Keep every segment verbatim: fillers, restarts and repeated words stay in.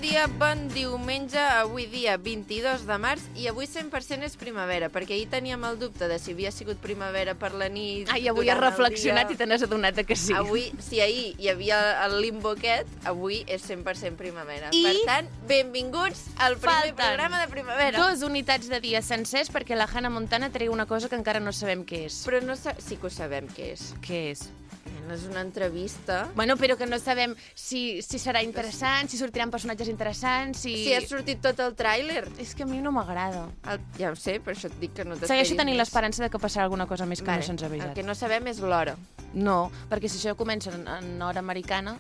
dia, bon diumenge, avui dia vint-i-dos de març, i avui cent per cent és primavera, perquè ahir teníem el dubte de si havia sigut primavera per la nit... Ai, avui has reflexionat i te n'has adonat que sí. Avui, si ahir hi havia el limbo aquest, avui és cent per cent primavera. I... Per tant, benvinguts al primer Falten programa de primavera. Dos unitats de dia sencers perquè la Hannah Montana treu una cosa que encara no sabem què és. Però no sa... sí que ho sabem què és. Què és? És una entrevista. Bueno, però que no sabem si, si serà interessant, si sortiran personatges interessants, si... Si ha sortit tot el tràiler. És que a mi no m'agrada. El... Ja ho sé, per això et dic que no t'esperis. Segueixo tenint l'esperança de que passarà alguna cosa més que vale. no se'ns ha avisat. El que no sabem és l'hora. No, perquè si això comença en, en hora americana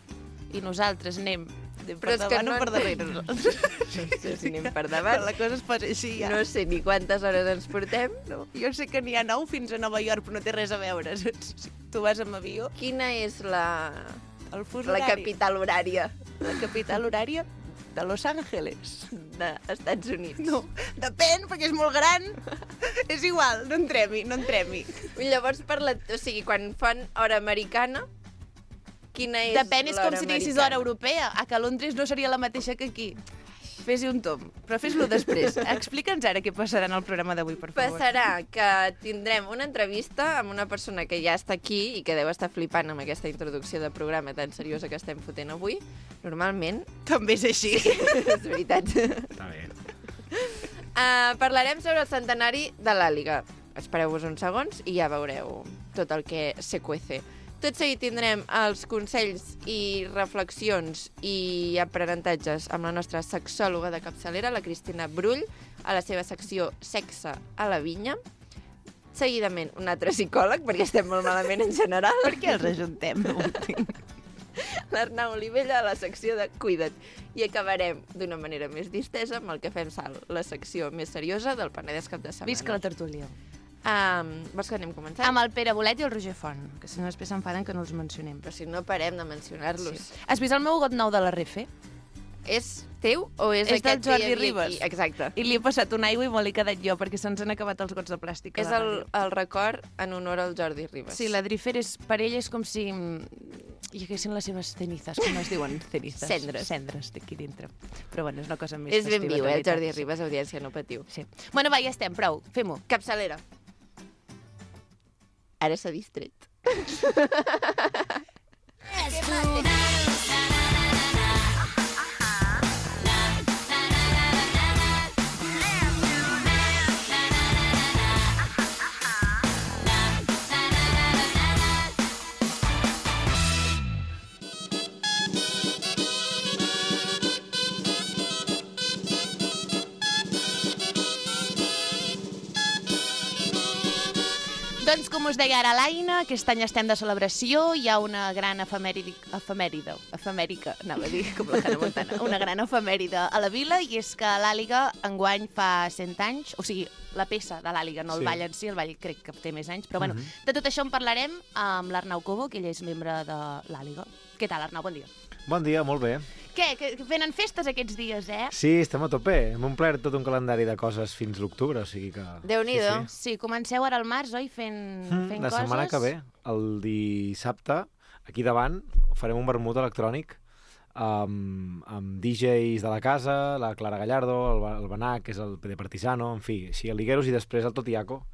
i nosaltres anem per Però davant no o per darrere. No sé si anem per davant. La cosa es posa així ja. No sé ni quantes hores ens portem. No. Jo sé que n'hi ha nou fins a Nova York, però no té res a veure. Si tu vas amb avió... Quina és la... El fus la horari. capital horària? La capital horària de Los Angeles. D'Estats Units. No, depèn, perquè és molt gran. És igual, no entrem-hi, no entrem-hi. Llavors, per la... o sigui, quan fan hora americana, quina és depèn, és com si diguessis americana? hora europea. A que Londres no seria la mateixa que aquí. Fes-hi un tom, però fes-lo després. Explica'ns ara què passarà en el programa d'avui, per favor. Passarà que tindrem una entrevista amb una persona que ja està aquí i que deu estar flipant amb aquesta introducció de programa tan seriosa que estem fotent avui. Normalment... També és així. És veritat. Està bé. Uh, parlarem sobre el centenari de l'Àliga. Espereu-vos uns segons i ja veureu tot el que se cuece. Tot seguit tindrem els consells i reflexions i aprenentatges amb la nostra sexòloga de capçalera, la Cristina Brull, a la seva secció Sexe a la vinya. Seguidament, un altre psicòleg, perquè estem molt malament en general. Per què els ajuntem? No ho entenc. L'Arnau Olivella, a la secció de Cuida't. I acabarem d'una manera més distesa amb el que fem salt, la secció més seriosa del Penedès cap de setmana. Visca la tertúlia. Um, vols que anem començant? Amb el Pere Bolet i el Roger Font, que si no després s'enfaden que no els mencionem. Però si no parem de mencionar-los. Sí. Has vist el meu got nou de la Refe? És teu o és, és aquest del Jordi que hi havia Ribas. aquí? Exacte. I li he passat una aigua i me l'he quedat jo, perquè se'ns han acabat els gots de plàstic a És la el, ràdio. el record en honor al Jordi Ribas. Sí, la Drifer és, per ell és com si hi haguessin les seves cenizes, com es diuen? Cenizes. Cendres. Cendres d'aquí dintre. Però bueno, és una cosa més És ben festiva. viu, eh, el de Jordi veritat. Ribas, audiència, no patiu. Sí. Bueno, va, ja estem, prou, fem-ho. Capçalera. Ara s'ha distret. Doncs, com us deia ara l'Aina, aquest any estem de celebració, hi ha una gran efemèride, efemèride, efemèrica, anava a dir, com la Hannah Montana, una gran efemèride a la vila, i és que l'Àliga enguany fa cent anys, o sigui, la peça de l'Àliga, no el Sí. ball en si, el ball crec que té més anys, però bueno, Mhm. de tot això en parlarem amb l'Arnau Cobo, que ell és membre de l'Àliga. Què tal, Arnau? Bon dia. Bon dia, molt bé. Què? Que que venen festes aquests dies, eh? Sí, estem a tope. Hem omplert tot un calendari de coses fins l'octubre, o sigui que... Déu-n'hi-do. Sí, sí. Sí, comenceu ara al març, oi? Fent, Mm, fent la coses. setmana que ve, el dissabte, aquí davant, farem un vermut electrònic amb, amb D Js de la casa, la Clara Gallardo, el, Ba- el Benac, que és el P D Partisano, en fi, així, el Ligueros, i després el Totiaco,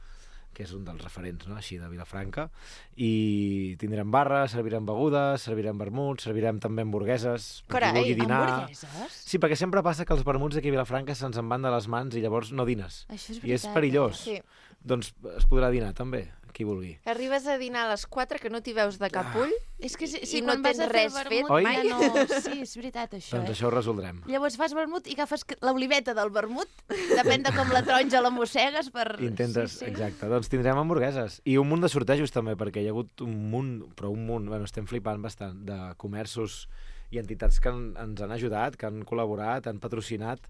que és un dels referents, no?, així, de Vilafranca, i tindrem barra, servirem begudes, servirem vermuts, servirem també hamburgueses, per qui Carai, vulgui dinar. Hamburgueses? Sí, perquè sempre passa que els vermuts d'aquí a Vilafranca se'ns en van de les mans i llavors no dines. Això és I és veritat, perillós. Sí. Doncs es podrà dinar també, qui vulgui. Arribes a dinar a les quatre que no t'hi veus de cap ull. És que si, I si no quan vas tens a fer res vermut, fet Oi? ja mai. no... Sí, és veritat, això. Doncs eh? això ho resoldrem. Llavors fas vermut i agafes l'oliveta del vermut, depèn de com la taronja la mossegues per... Intentes, sí, sí. exacte. Doncs tindrem hamburgueses. I un munt de sortejos també, perquè hi ha hagut un munt, però un munt, bueno, estem flipant bastant, de comerços i entitats que en, ens han ajudat, que han col·laborat, han patrocinat,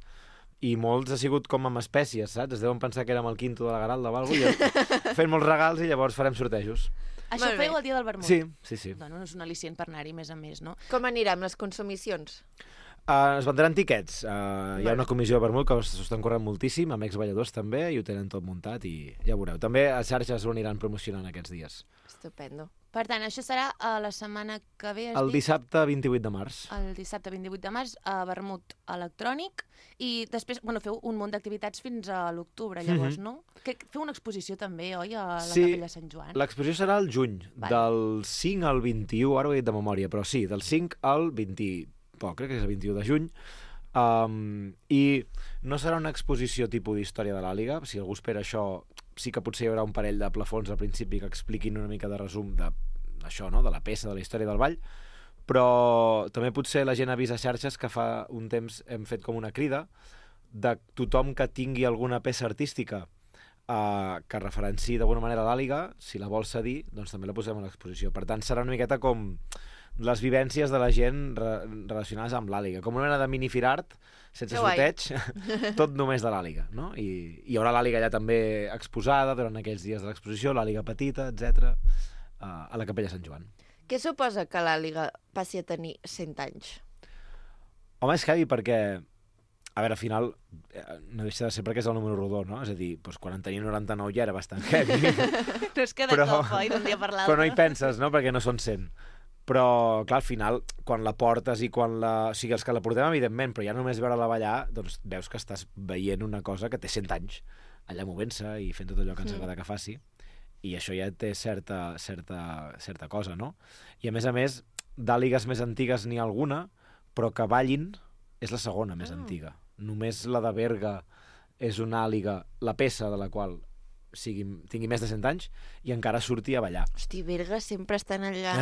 i molts ha sigut com amb espècies, saps? Es deuen pensar que érem el quinto de la Garalda o alguna cosa, fent molts regals i llavors farem sortejos. Això Molt bé. feu el dia del vermut? Sí, sí, sí. Bueno, és un al·licient per anar-hi més a més, no? Com anirà amb les consumicions? Uh, es vendran tiquets. Uh, hi ha una comissió de vermut que s'ho estan corrent moltíssim, amb exballadors també, i ho tenen tot muntat i ja ho veureu. També a xarxes ho aniran promocionant aquests dies. Estupendo. Per tant, això serà uh, la setmana que ve, has El dit? dissabte vint-i-vuit de març. El dissabte vint-i-vuit de març a Vermut electrònic i després, bueno, feu un munt d'activitats fins a l'octubre, llavors, Mhm. no? Que, feu una exposició també, oi, a la Sí, Capella Sant Joan? l'exposició serà al juny, Vale. del cinc al vint-i-u, ara ho he dit de memòria, però sí, del cinc al vint... Poc, crec que és el vint-i-u de juny. Um, I no serà una exposició tipus d'història de l'Àliga. Si algú espera això, sí que potser hi haurà un parell de plafons al principi que expliquin una mica de resum de això, no? De la peça, de la història del ball, però també potser la gent ha vist a xarxes que fa un temps hem fet com una crida de tothom que tingui alguna peça artística uh, que referenciï d'alguna manera l'Àliga, si la vol cedir, doncs també la posem a l'exposició. Per tant, serà una miqueta com les vivències de la gent re relacionades amb l'Àliga, com una mena de mini-firart, sense sorteig, tot només de l'Àliga, no? I hi haurà l'Àliga allà també exposada durant aquells dies de l'exposició, l'Àliga petita, etcètera, uh, a la Capella Sant Joan. Què suposa que l'Àliga passi a tenir cent anys? Home, és heavy perquè, a veure, al final, eh, no deixa de ser perquè és el número rodó, no? És a dir, doncs, quan en tenia noranta-nou ja era bastant heavy. No és que de Però- cop, oi, d'un dia per l'altre. Però no hi penses, no?, perquè no són cent. Però, clar, al final, quan la portes i quan la... O sigui, els que la portem, evidentment, però ja només veure-la ballar, doncs veus que estàs veient una cosa que té cent anys, allà movent-se i fent tot allò que ens agrada que faci. I això ja té certa, certa, certa cosa, no? I, a més a més, d'àligues més antigues n'hi ha alguna, però que ballin és la segona més Ah. antiga. Només la de Berga és una àliga, la peça de la qual sigui, tingui més de cent anys, i encara surti a ballar. Hosti, Berga sempre estan allà...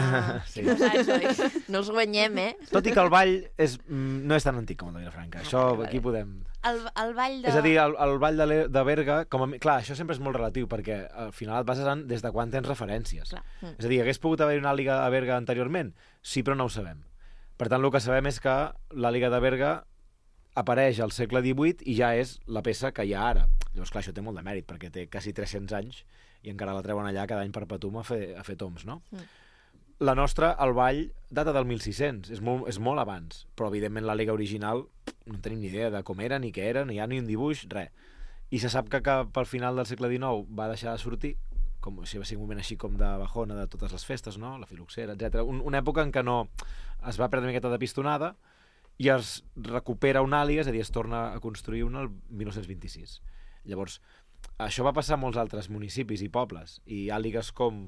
Sí. No saps, oi? No els guanyem, eh? Tot i que el ball és, mm, no és tan antic com el de Vilafranca. Ah, Això vale, vale. aquí podem... El, el ball de... És a dir, el, el ball de, Le- de Berga, com a, mi- clar, això sempre és molt relatiu, perquè al final et bases en des de quan tens referències. Clar. Mm. És a dir, hagués pogut haver una àliga a Berga anteriorment? Sí, però no ho sabem. Per tant, el que sabem és que l'àliga de Berga apareix al segle divuit i ja és la peça que hi ha ara. Llavors, clar, això té molt de mèrit, perquè té quasi tres-cents anys i encara la treuen allà cada any perpetum a fer, a fer toms, no? Mm. La nostra, el ball, data del mil sis-cents, és molt, és molt abans, però evidentment l'àliga original no tenim ni idea de com era, ni què era, ni hi ha ni un dibuix, res. I se sap que cap al final del segle dinou va deixar de sortir, com si va ser un moment així com de bajona de totes les festes, no? La filoxera, etcètera. Un, una època en què no es va perdre una miqueta de pistonada i es recupera una àliga, és a dir, es torna a construir una el mil nou-cents vint-i-sis. Llavors, això va passar a molts altres municipis i pobles, i àligues com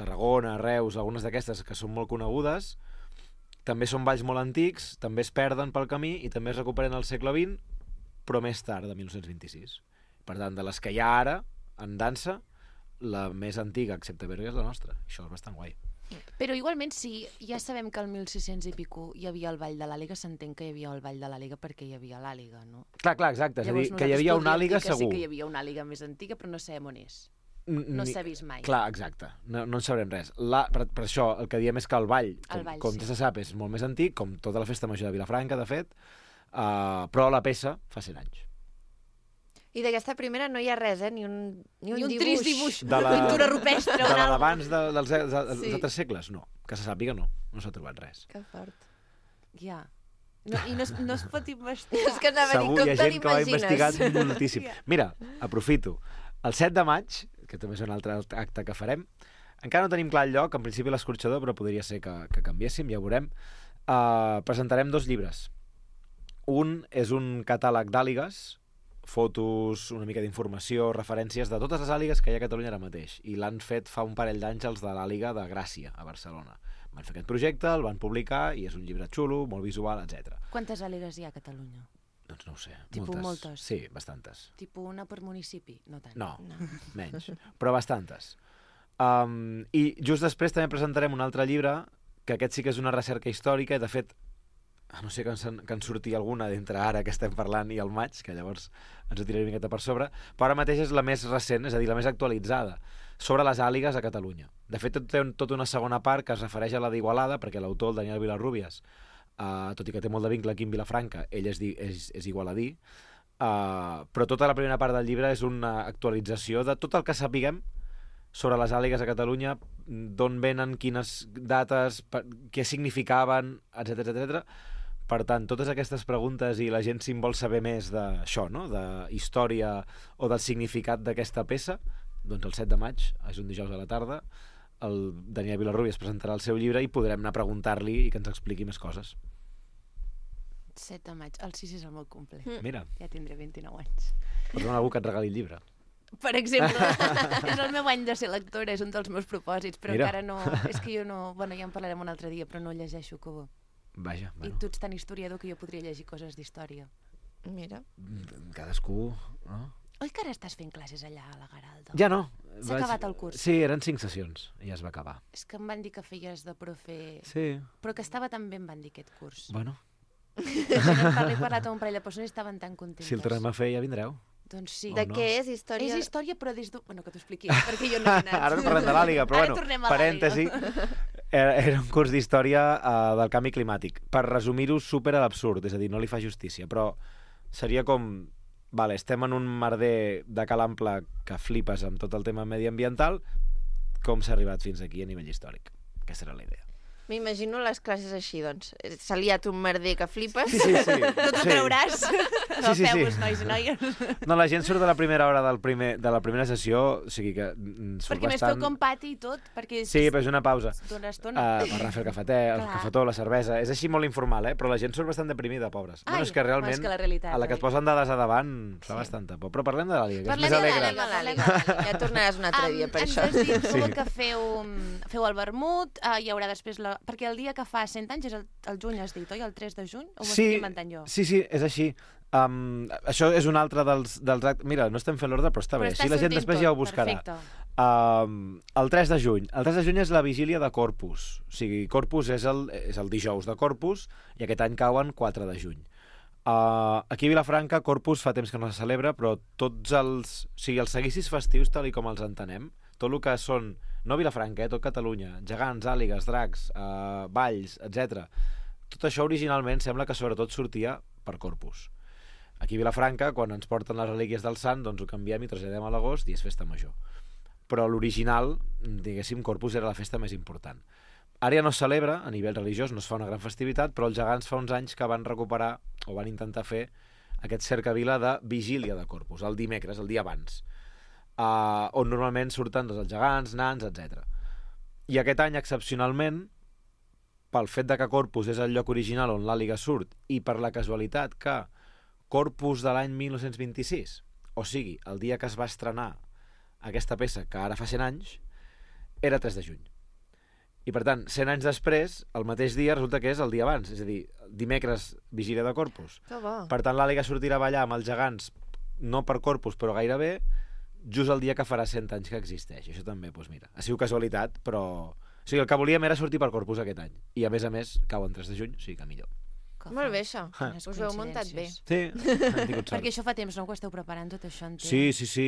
Tarragona, Reus, algunes d'aquestes que són molt conegudes, també són balls molt antics, també es perden pel camí i també es recuperen al segle vint, però més tard, de mil nou-cents vint-i-sis. Per tant, de les que hi ha ara, en dansa, la més antiga, excepte Berga, és la nostra. Això és bastant guai. Però igualment, si ja sabem que al mil sis-cents i pico hi havia el ball de l'Àliga, s'entén que hi havia el ball de l'Àliga perquè hi havia l'Àliga, no? Clar, clar, exacte. És a dir, que hi nosaltres havia una podríem àliga dir que segur. sí que hi havia una àliga més antiga, però no sabem on és. No Ni- s'ha vist mai. Clar, exacte. No, no en sabrem res. La, per, per això, el que diem és que el ball, com, El ball, com sí. ja se sap, és molt més antic, com tota la festa major de Vilafranca, de fet, uh, però la peça fa cent anys. I d'aquesta primera no hi ha res, eh? Ni un, ni un, Ni un dibuix. trist dibuix, De la- pintura rupestre De o la algo. d'abans de, dels, dels, dels Sí. altres segles? No. Que se sàpiga, no. No s'ha trobat res. Que fort. Ja. No, I no es, no es pot investigar. És que anava a dir, Segur, com hi ha te gent que ho ha investigat l'imagines? moltíssim. Mira, aprofito. El set de maig, que també és un altre acte que farem, encara no tenim clar el lloc, en principi l'escorxador, però podria ser que, que canviéssim, ja ho veurem. Uh, presentarem dos llibres. Un és un catàleg d'àligues, fotos, una mica d'informació, referències de totes les àligues que hi ha a Catalunya ara mateix. I l'han fet fa un parell d'anys els de l'àliga de Gràcia, a Barcelona. Van fer aquest projecte, el van publicar, i és un llibre xulo, molt visual, etcètera. Quantes àligues hi ha a Catalunya? Doncs no ho sé. Tipus moltes. moltes? Sí, bastantes. Tipo una per municipi? No tant. No, No. menys, però bastantes. Um, I just després també presentarem un altre llibre, que aquest sí que és una recerca històrica, i de fet, a no sé que en, que en surti alguna d'entre ara que estem parlant i el maig, que llavors ens ho tiraré una miqueta per sobre, però ara mateix és la més recent, és a dir, la més actualitzada, sobre les àligues a Catalunya. De fet, té un, tota una segona part que es refereix a la d'Igualada, perquè l'autor, el Daniel Vilarrubias, uh, tot i que té molt de vincle aquí en Vilafranca, ell és, di, és, és igualadí, uh, però tota la primera part del llibre és una actualització de tot el que sapiguem sobre les àligues a Catalunya, d'on venen, quines dates, per, què significaven, etcètera, etcètera, Per tant, totes aquestes preguntes i la gent si en vol saber més d'això, no? De història o del significat d'aquesta peça, doncs el set de maig, és un dijous a la tarda, el Daniel Vilarrubi es presentarà el seu llibre i podrem anar a preguntar-li i que ens expliqui més coses. set de maig, el sis és el meu cumple. Mm. Mira, Ja tindré vint-i-nou anys. pots demanar a algú que et regali el llibre. Per exemple, és el meu any de ser lectora, és un dels meus propòsits, però Mira. encara no... És que jo no... Bueno, ja en parlarem un altre dia, però no llegeixo Cobo. Vaja, I bueno, tu ets tan historiador que jo podria llegir coses d'història. Mira. cadascú... No? Oi que ara estàs fent classes allà a la Garalda? Ja no. S'ha acabat el curs. Sí, eren cinc sessions i ja es va acabar. És que em van dir que feies de profe... Sí, Però que estava tan bé, em van dir, aquest curs. bueno, He parlat amb un parell de persones i estaven tan contentes. si el tornem a fer ja vindreu. Doncs sí. O De no. què és història? És història, però des d'un... Bueno, que t'ho expliqui, perquè jo no he anat. Ara no parlem de l'Àliga, però Ara bueno, tornem a parèntesi. Era, era un curs d'història uh, del canvi climàtic. Per resumir-ho, super a l'absurd, és a dir, no li fa justícia, però seria com... Vale, estem en un merder de cal ample que flipes amb tot el tema mediambiental, com s'ha arribat fins aquí a nivell històric. Aquesta era la idea. M'imagino les classes així, doncs. S'ha liat un merder que flipes. Sí, sí, sí. No t'ho sí. creuràs. Sí, sí, Agafeu-vos, sí. nois i noies. No, la gent surt de la primera hora del primer, de la primera sessió, o sigui que mm, surt Perquè més bastant... feu com pati i tot, perquè Sí, però és una pausa. d'una estona. Uh, per anar a fer el cafetè, el Clar. cafetó, la cervesa. És així molt informal, eh? Però la gent surt bastant deprimida, pobres. Ai, Bueno, és que realment, és que la realitat, a la que oi? et posen dades a davant, fa Sí. bastanta por. Però parlem de l'Àliga, que és Parlem més de alegre. l'Àliga. Anem a l'Àliga. Ja tornaràs un altre dia per ens això. has dit, tu, Sí. que feu, feu el vermut, uh, hi haurà després... La... Perquè el dia que fa cent anys és el, el juny, has dit, oi? El tres de juny? O ho Sí, estic inventant jo? sí, sí, és així. Um, això és un altre dels, dels actes... Mira, no estem fent l'ordre, però està Però bé. està Així la gent sortint després tot, ja ho buscarà. Perfecte. Um, el tres de juny. El tres de juny és la vigília de Corpus. O sigui, Corpus és el, és el dijous de Corpus i aquest any cauen quatre de juny. Uh, aquí a Vilafranca, Corpus fa temps que no se celebra, però tots els... O sigui, els seguicis festius, tal i com els entenem, tot el que són... No Vilafranca, eh, tot Catalunya. Gegants, àligues, dracs, uh, balls, etcètera. Tot això originalment sembla que sobretot sortia per Corpus. Aquí a Vilafranca, quan ens porten les relíquies del sant, doncs ho canviem i traslladem a l'agost i és festa major. Però l'original, diguéssim, Corpus era la festa més important. Ara ja no es celebra, a nivell religiós, no es fa una gran festivitat, però els gegants fa uns anys que van recuperar, o van intentar fer, aquest cercavila de vigília de Corpus, el dimecres, el dia abans, uh, on normalment surten doncs, els gegants, nans, etcètera. I aquest any, excepcionalment, pel fet de que Corpus és el lloc original on l'Àliga surt i per la casualitat que Corpus de l'any mil nou-cents vint-i-sis, o sigui, el dia que es va estrenar aquesta peça, que ara fa cent anys, era tres de juny. I per tant, cent anys després, el mateix dia resulta que és el dia abans, és a dir, dimecres, vigília de Corpus. Que bo. Per tant, l'Àliga sortirà a ballar amb els gegants, no per Corpus, però gairebé, just el dia que farà cent anys que existeix. Això també, doncs mira, ha sigut casualitat, però... O sigui, el que volíem era sortir per Corpus aquest any. I a més a més, cau en tres de juny, o sigui que millor. Que Molt fa- bé, això. quines Us ho heu muntat bé. coincidències. Sí, hem tingut sort. Perquè això fa temps, no? Que ho esteu preparant tot això, entenc. Sí, sí, sí.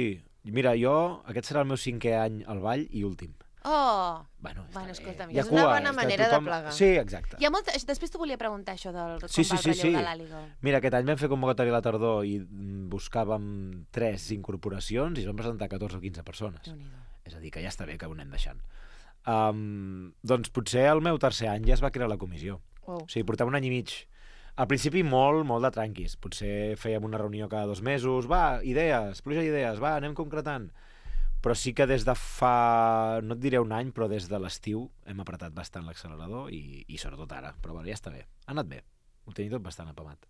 Mira, jo, aquest serà el meu cinquè any al ball i últim. Oh! Bueno, està Bueno, bé. escolta'm, Hi ha és una cua, bona és que manera de plegar. Sí, exacte. Hi ha molta... Després t'ho volia preguntar, això del com Sí, sí, va el sí, relleu sí. de l'Àliga. Mira, aquest any vam fer convocatòria a la tardor i mm, buscàvem tres incorporacions i es van presentar catorze o quinze persones. Déu-n'hi-do. És a dir, que ja està bé que ho anem deixant. Um, doncs potser el meu tercer any ja es va crear la comissió. Wow. O sigui, portava un any i mig. Al principi molt, molt de tranquis. Potser fèiem una reunió cada dos mesos. Va, idees, pluja d'idees, va, anem concretant. Però sí que des de fa, no et diré un any, però des de l'estiu hem apretat bastant l'accelerador i, i sobretot ara. Però bueno, ja està bé. Ha anat bé. Ho tenia tot bastant apamat.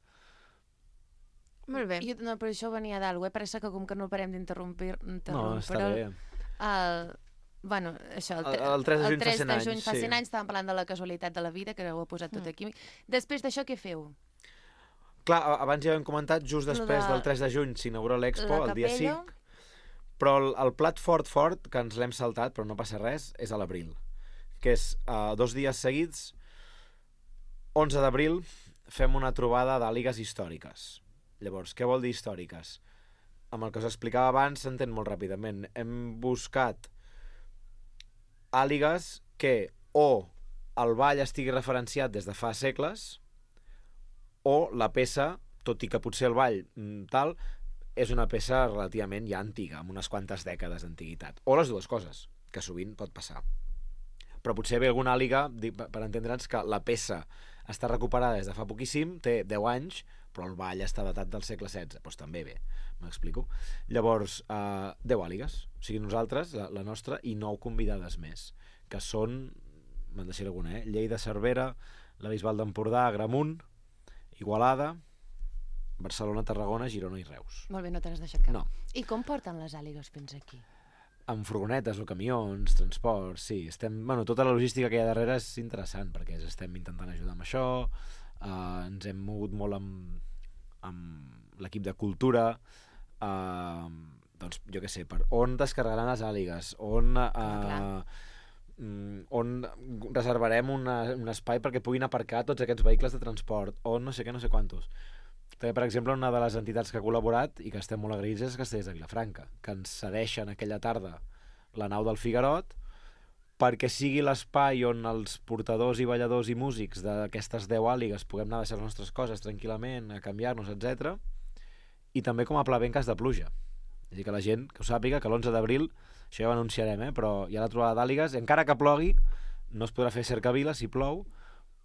Molt bé. Jo, no, però això venia d'algú, eh? Parece que com que no parem d'interrompir... No, està el, bé. El, bueno, això, el, El- el tres de juny fa tres cent de anys, juny fa sí. cent anys, estàvem parlant de la casualitat de la vida, que ho ha posat tot aquí. Després d'això, què feu? Clar, a- abans ja hem comentat, just Lo després de- del tres de juny s'inaugura l'Expo, La el dia capella. cinc, però el, el plat fort fort, que ens l'hem saltat, però no passa res, és a l'abril, que és uh, dos dies seguits, onze d'abril, fem una trobada d'àligues històriques. Llavors, què vol dir històriques? Amb el que us explicava abans s'entén molt ràpidament. Hem buscat àligues que o el ball estigui referenciat des de fa segles o la peça, tot i que potser el ball mm, tal, és una peça relativament ja antiga, amb unes quantes dècades d'antiguitat. O les dues coses, que sovint pot passar. Però potser ve alguna àliga, dic, per entendre'ns que la peça està recuperada des de fa poquíssim, té deu anys, però el ball està datat del segle setze, doncs també bé, m'explico. Llavors, eh, deu àligues, o sigui, nosaltres, la, la nostra, i nou convidades més, que són, me'n deixaré alguna, eh? Lleida, Cervera, la Bisbal d'Empordà, Agramunt, Igualada, Barcelona, Tarragona, Girona i Reus. Molt bé, no te n'has deixat cap. No. I com porten les àligues fins aquí? Amb furgonetes o camions, transports, sí. Estem, bueno, tota la logística que hi ha darrere és interessant, perquè estem intentant ajudar amb això, eh, ens hem mogut molt amb, amb l'equip de cultura, eh, doncs, jo què sé, per on descarregaran les àligues, on... Eh, on reservarem una, un espai perquè puguin aparcar tots aquests vehicles de transport, on no sé què, no sé quantos. També, per exemple, una de les entitats que ha col·laborat i que estem molt agraïts és Castellers de Vilafranca, que ens cedeixen aquella tarda la nau del Figuerot perquè sigui l'espai on els portadors i balladors i músics d'aquestes deu àligues puguem anar a deixar les nostres coses tranquil·lament, a canviar-nos, etcètera. I també com a pla B en cas de pluja. És a dir, que la gent que ho sàpiga que l'onze d'abril, això ja ho anunciarem, eh? Però hi ha la trobada d'àligues, encara que plogui, no es podrà fer cercavila si plou,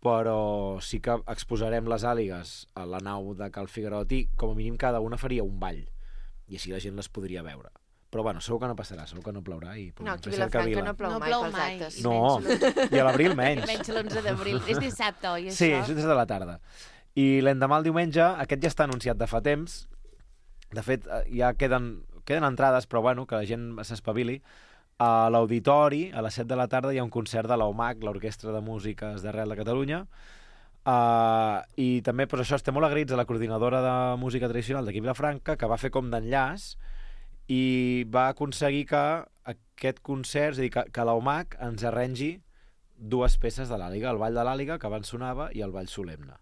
però sí que exposarem les àligues a la nau de Cal Figuerot i com a mínim cada una faria un ball i així la gent les podria veure. Però bueno, segur que no passarà, segur que no plourà i no, podrem aquí fer a Vilafranca cercavila. no plou No mai plou pels mai. actes. I No, menys i a l'abril menys. menys l'onze d'abril. És dissabte, oi, això? Sí, és des de la tarda. I l'endemà, el diumenge, aquest ja està anunciat de fa temps. De fet, ja queden, queden entrades, però bueno, que la gent s'espavili. A l'Auditori, a les set de la tarda, hi ha un concert de l'O M A C, l'Orquestra de Músiques d'Arrel de Catalunya. Uh, I també, doncs això, estem molt agraïts a la coordinadora de música tradicional d'aquí Vilafranca, que va fer com d'enllaç i va aconseguir que aquest concert, és a dir, que, que l'O M A C ens arrengi dues peces de l'Àliga, el Ball de l'Àliga, que abans sonava, i el Ball Solemne.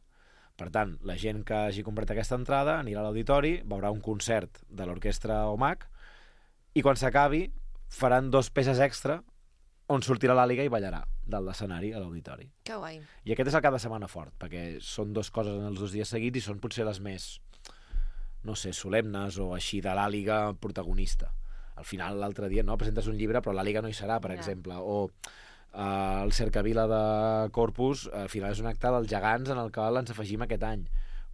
Per tant, la gent que hagi comprat aquesta entrada anirà a l'auditori, veurà un concert de l'orquestra O M A C, i quan s'acabi faran dos peces extra on sortirà l'Àliga i ballarà dalt l'escenari a l'auditori. Que guai. I aquest és el cap de setmana fort, perquè són dues coses en els dos dies seguits i són potser les més, no sé, solemnes o així de l'Àliga protagonista. Al final, l'altre dia, no, presentes un llibre, però l'Àliga no hi serà, per Ja. exemple. O uh, el Cercavila de Corpus, al final és un acte dels gegants en el qual ens afegim aquest any.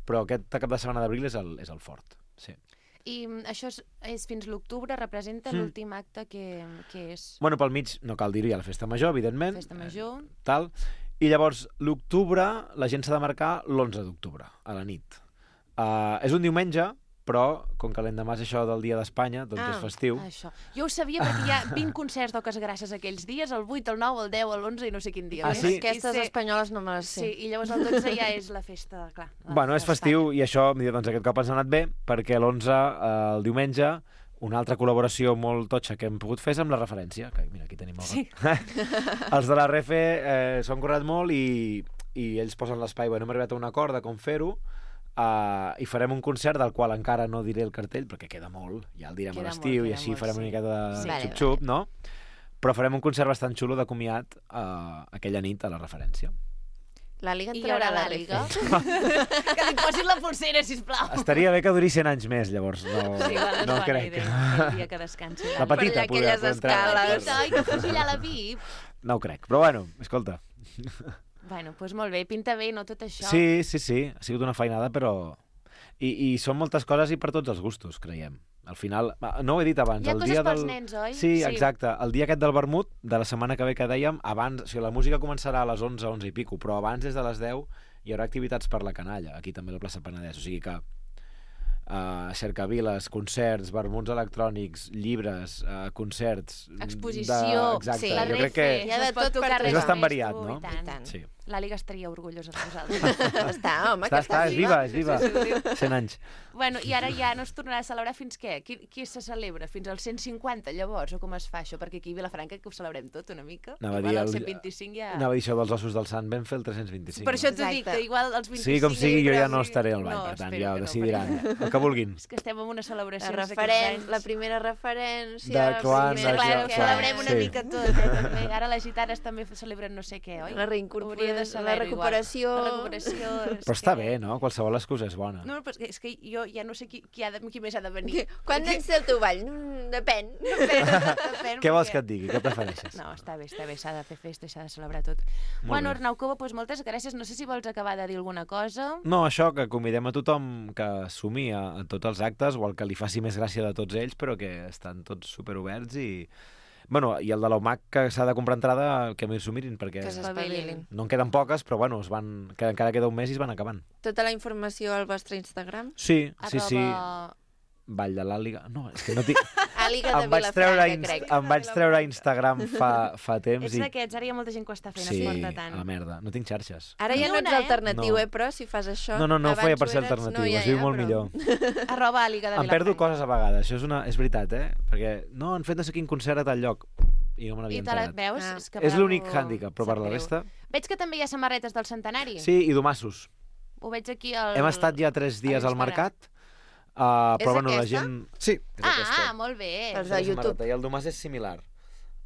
Però aquest cap de setmana d'abril és, el, és el fort, sí. I mm, això és, és fins l'octubre, representa Mm. l'últim acte que, que és Bueno, pel mig, no cal dir-ho, hi ha la festa major, evidentment. Festa Major. Eh, tal. I llavors, l'octubre, la gent s'ha de marcar l'onze d'octubre, a la nit. Uh, és un diumenge, però, com que l'endemà és això del Dia d'Espanya, doncs Ah, és festiu. Això. Jo ho sabia perquè hi ha vint concerts d'Oques Grasses aquells dies, el vuit, el nou, el deu, l'onze i no sé quin dia. Ah, més. sí? Aquestes I sé- espanyoles no me les Sí, sé. i llavors el dotze ja és la festa, clar. la Bueno, és festa festiu i això, doncs, aquest cop ens ha anat bé, perquè l'onze, eh, el diumenge, una altra col·laboració molt totxa que hem pogut fer és amb la referència, que mira, aquí tenim el Sí. Els de la Refe eh, s'ho han currat molt i, i ells posen l'espai. Bueno, hem arribat a un acord de com fer-ho, uh, i farem un concert del qual encara no diré el cartell, perquè queda molt, ja el direm Queda a l'estiu molt, i queda així molt, farem sí. una miqueta de Sí. Vale, xup-xup, no? Però farem un concert bastant xulo de comiat uh, aquella nit a la referència. L'Àliga I en hi haurà traurà la l'Àliga. Refe. Que li posin la pulsera, sisplau. Estaria bé que durís cent anys més, llavors. No, Sí, igual és no bona crec. idea, el dia que descansi. La Per petita allà poder, aquelles poder entrar. escales. Petita, oi, que faci allà la V I P. No ho crec, però bueno, escolta. Bueno, doncs molt bé, pinta bé, no, tot això. Sí, sí, sí, ha sigut una feinada, però... I, i són moltes coses i per tots els gustos, creiem. Al final, no ho he dit abans, Hi ha el coses dia pels del... nens, oi? Sí, Sí. exacte. El dia aquest del vermut, de la setmana que ve que dèiem, abans, o sigui, la música començarà a les onze, onze i pico, però abans, des de les deu, hi haurà activitats per la canalla, aquí també a la plaça Penedès, o sigui que uh, cercaviles, concerts, vermuts electrònics, llibres, uh, concerts... Exposició, de... Exacte, sí, La jo Refe, crec que... Hi ha de es pot tot per tocar tothom. res És bastant més, variat, tu, no? i tant. I tant. Sí. L'Àliga estaria orgullosa de vosaltres. Està, home, Està, que està, és viva, és viva. Sí, sí, sí, sí. cent anys. Bueno, i ara ja no es tornarà a celebrar fins què? Qui, qui se celebra? Fins als cent cinquanta, llavors? O com es fa això? Perquè aquí a Vilafranca que ho celebrem tot una mica. Anava a Igual dir al el- cent vint-i-cinc ja... Anava a dir això dels ossos del sant, vam fer el tres cents vint-i-cinc. Per això no? t'ho dic, Exacte. que igual als vint-i-cinc... Sí, com sigui, jo ja no sí. estaré al ball, No, per tant, espero ja ho que no, decidiran. perquè- El que vulguin. És que estem en una celebració La, referen... la primera referència... De quan, Sí, de clar, quan, ho clar, celebrem una sí. mica tot, eh, també. Ara les gitanes també celebren no sé què, oi? La reincorporació, Hauria de la saber-ho recuperació... igual. La recuperació... és Però està que- bé, no? Qualsevol excusa és bona. No, però és que jo ja no sé qui, qui, ha de, qui més ha de venir. Quan Perquè- ets el teu ball? No, depèn. Depèn, Què vols perquè- que et digui? Què prefereixes? No, està bé, està bé, s'ha de fer festa i s'ha de celebrar tot. Molt Bueno, bé. Arnau Cova, doncs moltes gràcies. No sé si vols acabar de dir alguna cosa. No, això, que convidem a tothom que sumi a, a tots els actes, o el que li faci més gràcia de tots ells, però que estan tots superoberts i... Bueno, i el de l'O M A C que s'ha de comprar entrada, que m'hi s'ho mirin, perquè Que s'espavilin. no en queden poques, però bueno, es van, que encara queda un mes i es van acabant. Tota la informació al vostre Instagram. Sí, sí, sí. Arroba... Vall de l'Àliga... No, és que no tinc... Àliga de em vaig treure, a Vilafranca, Inst... crec. em vaig treure a Instagram fa, fa temps Ets i... d'aquests, ara hi ha molta gent que ho està fent, Sí, es porta a tant. la merda. No tinc xarxes. Ara ja Ni no una, ets eh? alternatiu, No. eh, però, si fas això... No, no, no ho Abans feia per ser ho eres, alternatiu, no, ja, es viu ja, molt però- millor. Arroba Àliga de Em perdo Vilafranca. coses a vegades, això és, una... és veritat, eh? Perquè no, han fet no sé quin concert a tal lloc i no me I n'havia te la enterat. veus? Ah. És, que És bravo, l'únic hàndicap, però per sap la greu. resta... Veig que també hi ha samarretes del centenari. Sí, i domassos. Ho veig aquí al... Hem estat ja tres dies a al l'Instagram. mercat, uh, És però bueno, la aquesta? gent... Sí, és Ah, aquesta. molt bé. Els És la de YouTube. samarreta, I el domàs és similar.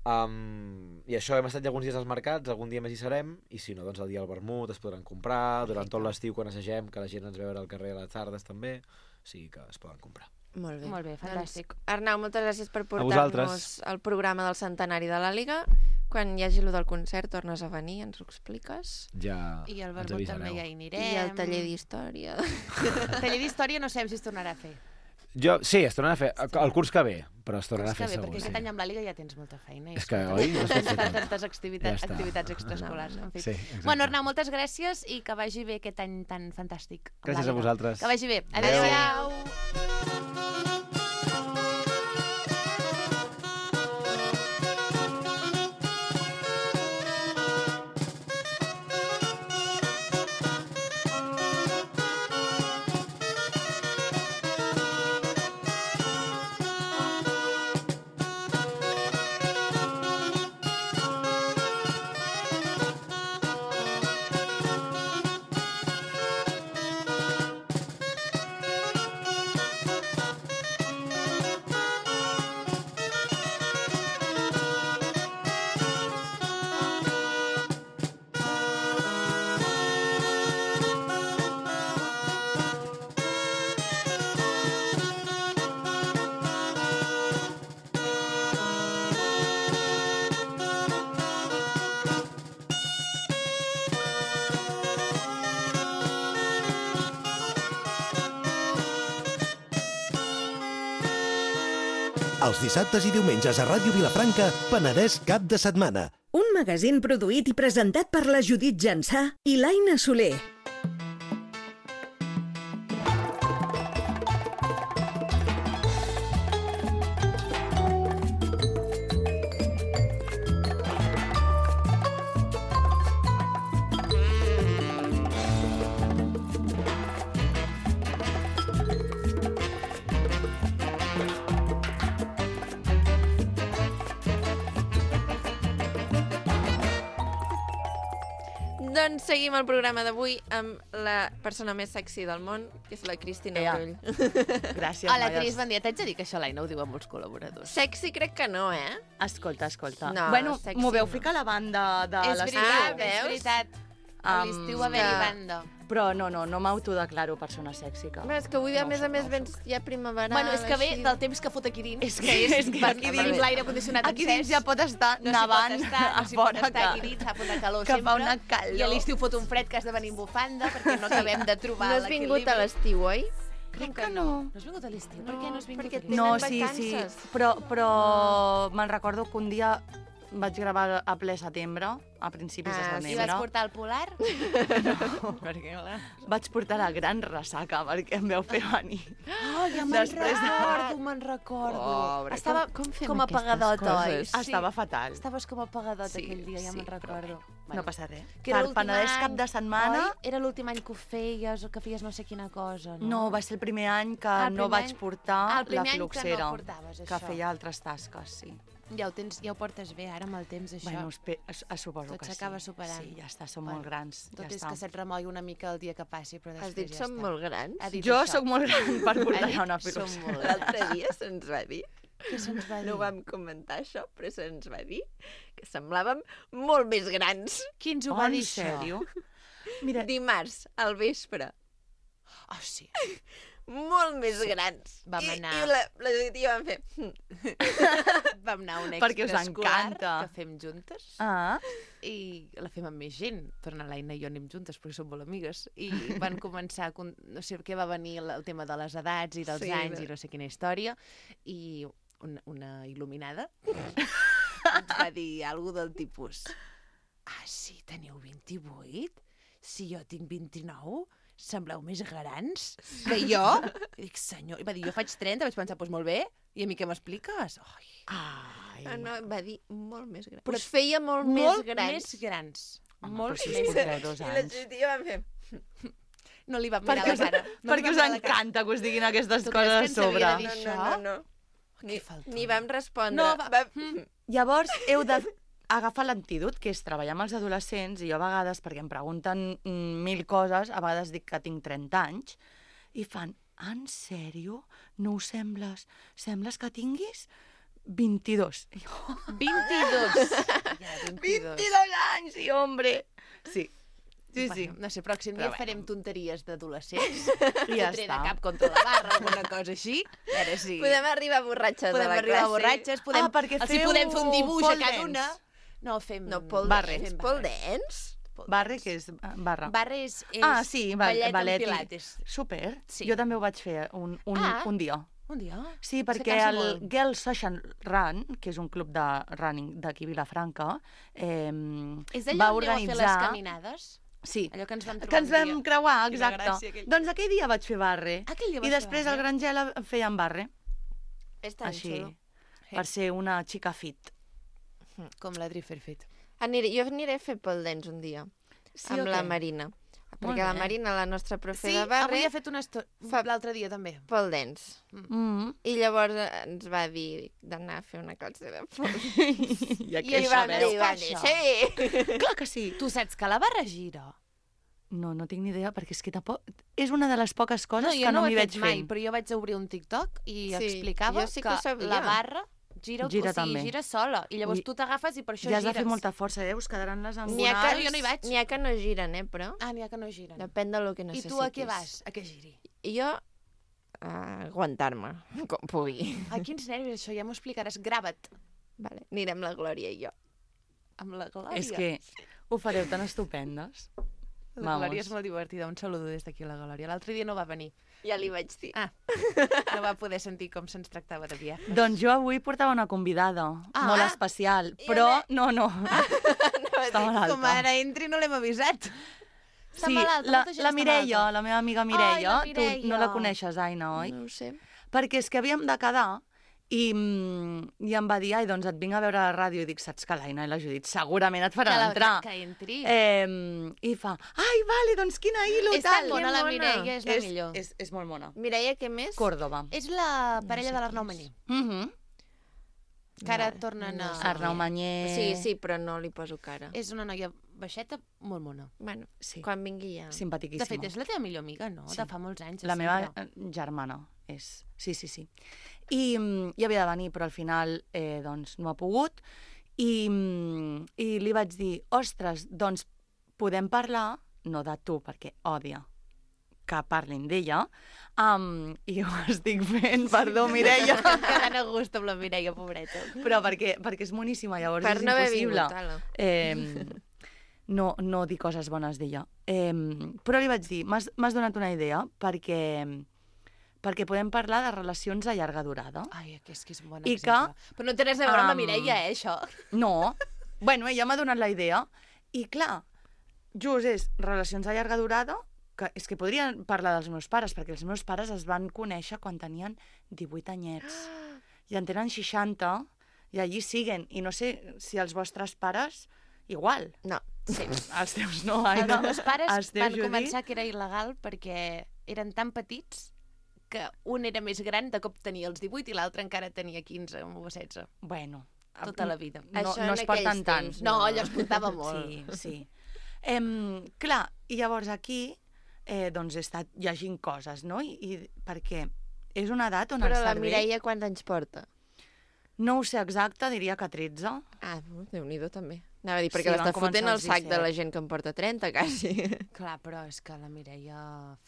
Um, I això, hem estat ja alguns dies als mercats, algun dia més hi serem, i si no, doncs el dia al vermut es podran comprar, durant tot l'estiu quan assagem, que la gent ens veure al carrer a les tardes també, o sigui que es poden comprar. Molt bé. Molt bé, fantàstic. Doncs, Arnau, moltes gràcies per vosaltres. portar-nos el programa del centenari de l'Àliga. Quan hi hagi el del concert, tornes a venir, ens ho expliques. Ja I al ens vermut també avisareu. ja hi anirem. I el taller d'història. El taller d'història no sabem si es tornarà a fer. Jo, sí, es tornarà a fer el curs que ve, però es tornarà a És que fer bé, segur. perquè Sí. aquest any amb l'Àliga ja tens molta feina. i És que, escolta, oi? No es pot fer Tantes, tot. tantes activitats, Ja està. activitats extraescolars. En fi. Sí, exacte. Bueno, Arnau, moltes gràcies i que vagi bé aquest any tan fantàstic. amb Gràcies a l'Àliga. vosaltres. Que vagi bé. Adéu. Adéu. Els dissabtes i diumenges a Ràdio Vilafranca, Penedès cap de setmana. Un magazín produït i presentat per la Judit Jansà i l'Aina Soler. Doncs seguim el programa d'avui amb la persona més sexy del món, que és la Cristina Ea. Brull. Gràcies, Hola, noies. Cris, bon dia. T'haig de dir que això l'Aina ho diu a molts col·laboradors. Sexy crec que no, eh? Escolta, escolta. No, bueno, sexy m'ho veu no. ficar a la banda de És l'estiu. veritat, Ah, és veus? veritat. A l'estiu va Um, haver-hi que- banda. Però no, no, no m'autodeclaro persona sèxica. Bé, és que avui, a No ho més a soc, més, no ho vens ja primavera. Bueno, és que ve així. del temps que fot aquí dins, És que- que és, és que aquí aquí dins dins- l'aire condicionat Aquí dins ja pot estar no nevant s'hi pot estar, a no s'hi pot fora, estar que- aquí dins, fa una calor que sempre, fa una calor. i a l'estiu fot un fred que has de venir amb bufanda perquè no acabem de trobar No has l'equilibri. vingut a l'estiu, oi? Crec que no. No has vingut a l'estiu? Per què no has vingut perquè a l'estiu? No, Tenen sí, sí, vacances. però, però me'n recordo que un dia vaig gravar a ple setembre, a principis Ah, de sí, I setembre. vas portar el polar? perquè vaig portar la gran ressaca perquè em veu fer venir. Oh, ja me'n Després de- recordo, me'n recordo. Pobre, Estava com- com fem com aquestes apagadota, oi? coses? Sí. Estava fatal. Estaves com apagadota Sí, aquell dia, ja sí, me'n recordo. No passa res. Que era Per l'últim Penedès any, cap de setmana... Oi? Era l'últim any que ho feies o que feies no sé quina cosa, no? No, va ser el primer any que Ah, el no primer vaig any- portar Ah, el primer la any que no fluxera, portaves, que això. feia altres tasques, sí. Ja ho, tens, ja ho portes bé ara amb el temps, això. Bueno, espe- es, es suposo Tot que sí. s'acaba superant. Sí, ja està, som Bueno, molt grans. Tot ja és està. que se't remogui una mica el dia que passi, però després Has dit ja som està. molt grans? Ha dit Jo això. sóc molt gran per Ha portar dit, una som fluxera. molt L'altre dia se'ns va dir, Què se'ns va dir? no ho vam comentar això, però se'ns va dir que semblàvem molt més grans. Qui ens ho Oh, va en dir, això? sèrio? Mira, Dimarts, al vespre. Oh, sí. molt més grans. Vam I, anar- I la, la Judit i jo vam fer... Vam anar a un Perquè us extraescolar encanta. que fem juntes Ah, i la fem amb més gent. Torna l'Aina i jo anem juntes perquè som molt amigues. I van començar, a con- no sé què va venir el, el tema de les edats i dels Sí, anys no. i no sé quina història. I una, una il·luminada ens va dir alguna del tipus: ah, sí, teniu vint-i-vuit? Si jo tinc vint-i-nou? Sembleu més grans que jo? I dic, senyor... I va dir, jo faig trenta, vaig pensar, doncs molt bé, i a mi què m'expliques? Ai, ai. Ah, no, va dir molt més grans. Però Us feia molt, molt més grans. més grans. Home, molt però si us més porteu grans. dos I la anys. Judit i jo vam fer... No li vam mirar Perquè la us, cara. No li perquè vam us mirar la cara. encanta que us diguin aquestes Tu creus coses que a ens havia sobre. de dir No, això? no, no. no. Ni, falta. ni vam respondre. No, va- va... Mm. Llavors, heu de agafar l'antídot, que és treballar amb els adolescents, i jo a vegades, perquè em pregunten mm, mil coses, a vegades dic que tinc trenta anys, i fan, en sèrio? No ho sembles? Sembles que tinguis vint-i-dos. I jo, vint-i-dos. Ja, vint-i-dos. vint-i-dos anys, i hombre! Sí, sí, sí. Bueno, no sé, pròxim Però dia bueno. farem tonteries d'adolescents. I ja Fotré de està. cap contra la barra, alguna cosa així. A veure si... Podem arribar borratxes podem a la arribar classe. borratxes, podem... Ah, perquè els hi feu podem fer un dibuix a pole cada dance. una. No, fem... No, pole Barre. dance. Fem Pole dance? Pole Barre, dance. que és ah, barra. Barre és, és Ah, sí, ba- ballet, ballet amb i- pilates. Super. Sí. Jo també ho vaig fer un, un, Ah. un dia. Un dia? Sí, Se perquè cansa el molt. Girls Session Run, que és un club de running d'aquí a Vilafranca, eh, És d'allò va on aneu a fer les organitzar... caminades? Sí, Allò que ens vam trobar que ens un vam dia. creuar, Quina exacte. gràcia, aquell- Doncs aquell dia vaig fer barre. Aquell dia I vas fer després barre? al Grangela feien barre. És tan Així, xulo. per ser una xica fit. Com l'Adri Fairfit. Aniré, jo aniré a fer pole dance un dia. Sí amb o la què? Marina. Molt Perquè la bé. Marina, la nostra profe Sí, de barre, avui ha fet una estona... Fa- L'altre dia també. pole dance. Mm. I llavors eh, ens va dir d'anar a fer una classe de pole. I, I ell va dir, va dir, sí! Clar que sí. Tu saps que la barra gira? No, no tinc ni idea, perquè és que tampoc... És una de les poques coses no, jo que no, no ho m'hi he veig fet mai, fent. però jo vaig obrir un TikTok i Sí, explicava jo sí que ho sabia. la barra gira, Gira o sigui, també. gira sola. I llavors Ui, tu t'agafes i per això Ja has de gires. fer molta força, eh? Us quedaran les N'hi ha, angonals. que, jo no hi vaig. n'hi ha que no giren, eh, però Ah, n'hi ha que no giren. depèn de lo que I necessitis. tu a què vas? A què giri? I jo a aguantar-me, com pugui. Ai, quins nervis, això, ja m'ho explicaràs. Grava't. Vale. Anirem la Glòria i jo. Amb la Glòria. És que ho fareu tan estupendes. La Glòria Vamos. és molt divertida. Un saludo des d'aquí a la Glòria. L'altre dia no va venir. Ja li vaig dir. Ah, no va poder sentir com se'ns tractava de viatges. Doncs jo avui portava una convidada, Ah. molt especial, però no, no, està malalta. Com ara entri no l'hem avisat. Està Sí, malalta, la, molta gent la està Mireia, malalta. la meva amiga Mireia, Ai, la Mireia. tu no la coneixes, Aina, oi? No ho sé. Perquè és que havíem de quedar i, mm, i em va dir, ai, doncs et vinc a veure a la ràdio, i dic, saps que l'Aina i la Judit segurament et Que, faran la, entrar. que entri. Eh, I fa, ai, vale, doncs quina il·lo, és tan tal. bona, la mona. Mireia, és la és, millor. és, és molt mona. Mireia, què més? Còrdoba. És la parella sé de l'Arnau qui Mañé. Mm -hmm. Que ara Vale, tornen no a... sé. Arnau Mañé. Sí, sí, però no li poso cara. És una noia baixeta molt mona. Bueno, Sí. quan vingui ja. Simpaticíssima. De fet, és la teva millor amiga, no? Sí. De fa molts anys. de La meva sempre. eh, germana és... Sí, sí, sí. I, mm, i havia de venir, però al final eh, doncs, no ha pogut. I, mm, I li vaig dir, ostres, doncs podem parlar, no de tu, perquè odia que parlin d'ella, um, i ho estic fent, perdó, Mireia, Quedant a gust amb la Mireia, pobreta. però perquè, perquè és moníssima, llavors Per és no haver impossible. vingut, ala. Eh, no, no dir coses bones d'ella. Eh, però li vaig dir, m'has m'has donat una idea perquè, perquè podem parlar de relacions a llarga durada. Ai, que és que és un bon I exemple. Però no té res a veure amb la Am, Mireia, eh, això. No, bueno, ella m'ha donat la idea i clar, just és relacions a llarga durada, que és que podria parlar dels meus pares, perquè els meus pares es van conèixer quan tenien divuit anyets i en tenen seixanta i allí siguen, i no sé si els vostres pares igual. No. Sí. Els teus no, Els Aina. meus pares Els teus, van Judit? començar que era il·legal perquè eren tan petits que un era més gran, de cop tenia els divuit i l'altre encara tenia quinze o setze. Bueno, Tota la vida. no, Això no en es porten aquells tant. temps, No, allò es portava molt. Sí, sí. Em, clar, i llavors aquí eh, doncs he estat llegint coses, no? I, i perquè és una edat on Però el la cervell... Mireia quants anys porta? No ho sé exacte, diria que tretze. Ah, Déu-n'hi-do també. Anava a dir, perquè Sí, l'està van començar fotent el als sac de la disset. gent que en porta trenta, quasi. Clar, però és que la Mireia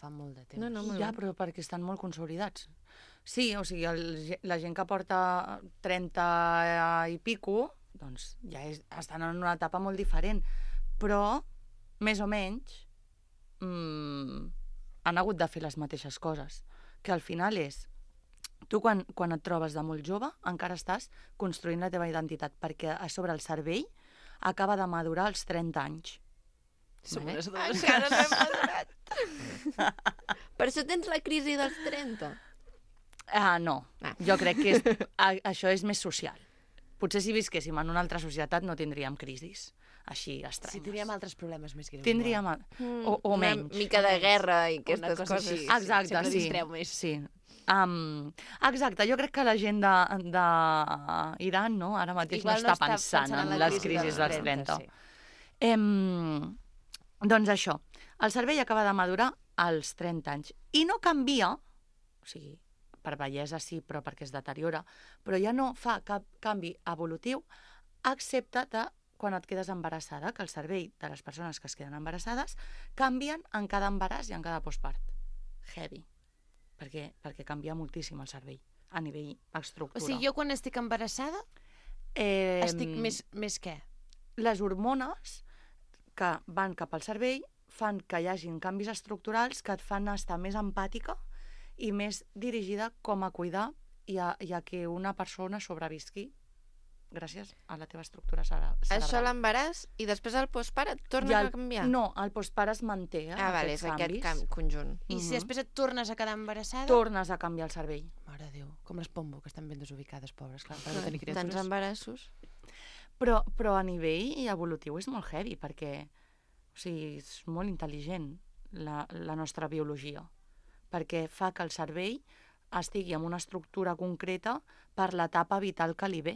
fa molt de temps. No, no, molt Ja, bé. però perquè estan molt consolidats. Sí, o sigui, el, la gent que porta trenta i pico, doncs ja és, estan en una etapa molt diferent. Però, més o menys, mmm, han hagut de fer les mateixes coses. Que al final és... Tu, quan, quan et trobes de molt jove, encara estàs construint la teva identitat, perquè a sobre el cervell acaba de madurar als trenta anys. Som Vale? unes dues. Encara no hem madurat. Per això tens la crisi dels trenta. Ah, no. Ah. Jo crec que és, a, això és més social. Potser si visquéssim en una altra societat no tindríem crisis així estranyes. Sí, tindríem altres problemes més greus. Tindríem... A... O, o menys. Una mica de guerra i Una aquestes cosa coses. així. Exacte, sempre sí. distreu més. Sí. Um, exacte, jo crec que la gent d'Iran no, ara mateix Igual no està pensant, en en la les crisi crisis dels dels trenta. sí. Em, doncs això, el cervell acaba de madurar als trenta anys i no canvia, o sigui, per bellesa sí, però perquè es deteriora, però ja no fa cap canvi evolutiu, excepte de quan et quedes embarassada, que el cervell de les persones que es queden embarassades canvien en cada embaràs i en cada postpart. Heavy. Perquè, perquè canvia moltíssim el cervell a nivell estructura. O sigui, jo quan estic embarassada eh, estic més, més què? Les hormones que van cap al cervell fan que hi hagin canvis estructurals que et fan estar més empàtica i més dirigida com a cuidar i a, i a que una persona sobrevisqui gràcies a la teva estructura cere- cerebral. Això l'embaràs i després el postpart et torna I el- a canviar? No, el postpart es manté, eh, Ah, vale, aquests és aquest canvis. cam conjunt. I si Mhm. després et tornes a quedar embarassada... Tornes a canviar el cervell. Mare de Déu, com les Pombo, que estan ben desubicades, pobres, clar, per no Clar, tenir Tants criatures. embarassos. Però, però a nivell evolutiu és molt heavy, perquè o sigui, és molt intel·ligent la, la nostra biologia, perquè fa que el cervell estigui en una estructura concreta per l'etapa vital que li ve.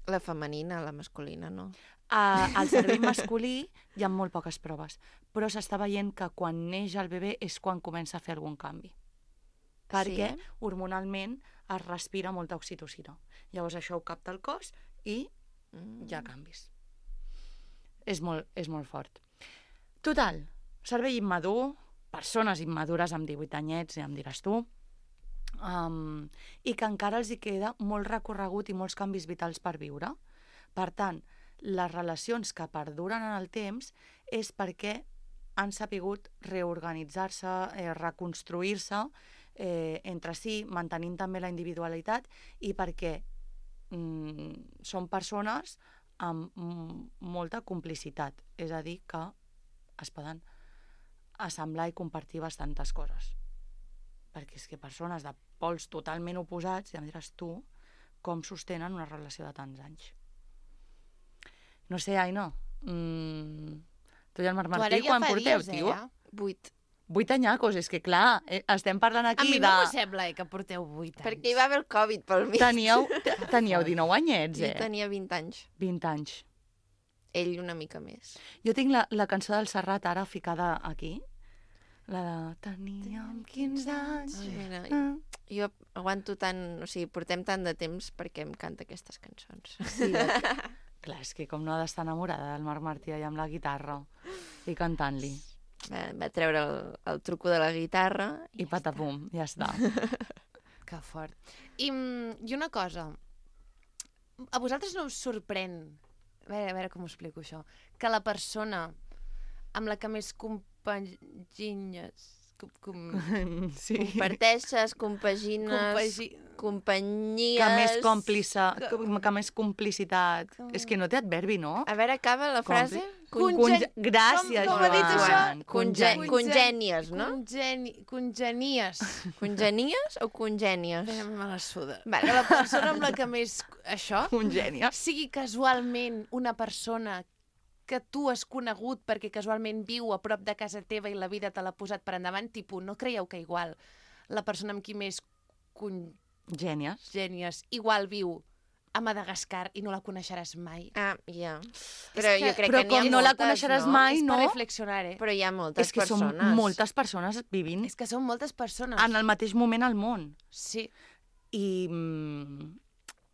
La femenina, la masculina, no? A, al cervell masculí hi ha molt poques proves, però s'està veient que quan neix el bebè és quan comença a fer algun canvi. Perquè Sí? hormonalment es respira molta oxitocina. Llavors això ho capta el cos i Mm. hi ha canvis. És molt, és molt fort. Total, cervell immadur, persones immadures amb divuit anyets, ja em diràs tu, um, i que encara els hi queda molt recorregut i molts canvis vitals per viure. Per tant, les relacions que perduren en el temps és perquè han sapigut reorganitzar-se, eh, reconstruir-se eh, entre si, mantenint també la individualitat, i perquè mm, són persones amb mm, molta complicitat, és a dir, que es poden assemblar i compartir bastantes coses. Perquè és que persones de pols totalment oposats, ja em diràs tu, com sostenen una relació de tants anys. No sé, Aina, mm, tu i el Marc Tu ara Martí, ja quan fa porteu, dies, tio? eh? Vuit. Vuit anyacos, és que clar, eh, estem parlant A aquí mi de... no m'ho sembla, eh, que porteu vuit anys. Perquè hi va haver el Covid pel mig. Teníeu, teníeu dinou anyets, Jo eh? tenia vint anys. vint anys. Ell una mica més. Jo tinc la, la cançó del Serrat ara ficada aquí. La de... Teníem quinze anys. Ai, mira, Ah. jo aguanto tant... O sigui, portem tant de temps perquè em canta aquestes cançons. Sí, eh? Clar, és que com no ha d'estar enamorada del Marc Martí allà amb la guitarra i cantant-li. Va, va treure el, el truco de la guitarra I ja patapum, ja està. Que fort. I, mm, I una cosa, a vosaltres no us sorprèn, a veure, a veure com ho explico això, que la persona amb la que més compaginyes, com, com, Sí. comparteixes, compagines, compagi... companyies... Que més còmplice, Que- que, que més complicitat. Com- És que no té adverbi, no? A veure, acaba la frase? Conge- Conge- Gràcies, com- com ha dit Joan. això? Conge Congen- congènies, no? Congeni... Congenies. Congenies o congènies? Bé, me la suda. Vale. Que la persona amb la que més... Això Congènies. sigui casualment una persona que tu has conegut perquè casualment viu a prop de casa teva i la vida te l'ha posat per endavant, tipus, no creieu que igual la persona amb qui més Gènies. congènies igual viu a Madagascar i no la coneixeràs mai? Ah, ja. Però que- jo crec Però que n'hi ha com no la moltes, coneixeràs no? mai, És no? per reflexionar, eh? Però hi ha moltes És que persones. són moltes persones vivint És que són moltes persones. en el mateix moment al món. Sí. I, mm,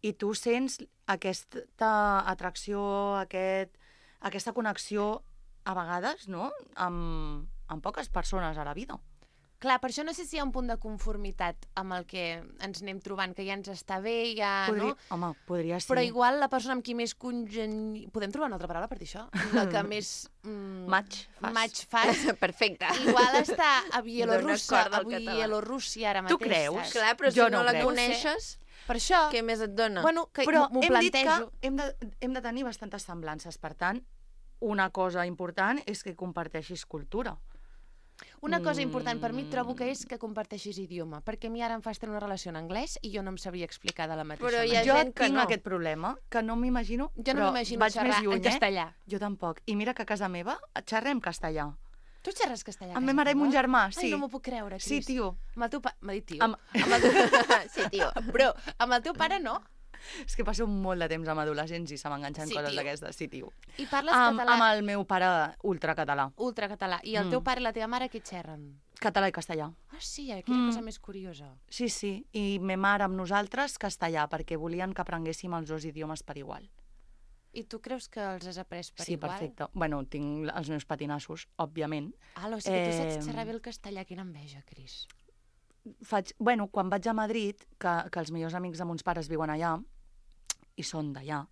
i tu sents aquesta atracció, aquest aquesta connexió, a vegades, no?, amb, amb poques persones a la vida. Clar, per això no sé si hi ha un punt de conformitat amb el que ens anem trobant, que ja ens està bé, ja, Podria, no? Home, podria ser. Però igual la persona amb qui més congeni... Podem trobar una altra paraula per dir això? La que més... Mm, Match fas. Match fas. Perfecte. Igual està a Bielorússia, corda a al català. Bielorússia ara Tu mateix. creus? saps? Clar, però Jo si no, no la crec. coneixes, Per això... què més et dona? Bueno, que Però m'ho hem dit que plantejo. hem de, hem de tenir bastantes semblances. Per tant, una cosa important és que comparteixis cultura. Una cosa important per mi trobo que és que comparteixis idioma, perquè a mi ara em fas tenir una relació en anglès i jo no em sabria explicar de la mateixa Però hi ha manera. Jo gent que tinc no. aquest problema, que no m'imagino, Jo no però m'imagino vaig xerrar més lluny, en castellà. Eh? Jo tampoc. I mira que a casa meva xerrem castellà. Tu xerres castellà? a Amb casa ma mare i teva? mon germà, sí. Ai, no m'ho puc creure, Cris. Sí, tio. Amb el teu pare... M'ha dit tio. Amb... Amb el teu... Sí, tio. Però amb el teu pare no. És que passo molt de temps amb adolescents i se m'enganxen Sí, coses tio. d'aquestes. Sí, tio. I parles Amb, català amb el meu pare ultracatalà. ultracatalà. I el Mm. teu pare i la teva mare què xerren? Català i castellà. Ah, sí, aquella Mm. cosa més curiosa. Sí, sí. I me mare amb nosaltres castellà, perquè volien que aprenguéssim els dos idiomes per igual. I tu creus que els has après per sí, igual? perfecte. Bueno, tinc els meus patinassos, òbviament. Ah, o sigui que tu Eh, saps xerrar bé el castellà. Quina enveja, Cris. Faig... Bueno, quan vaig a Madrid, que, que els millors amics de mons pares viuen allà, i són d'allà,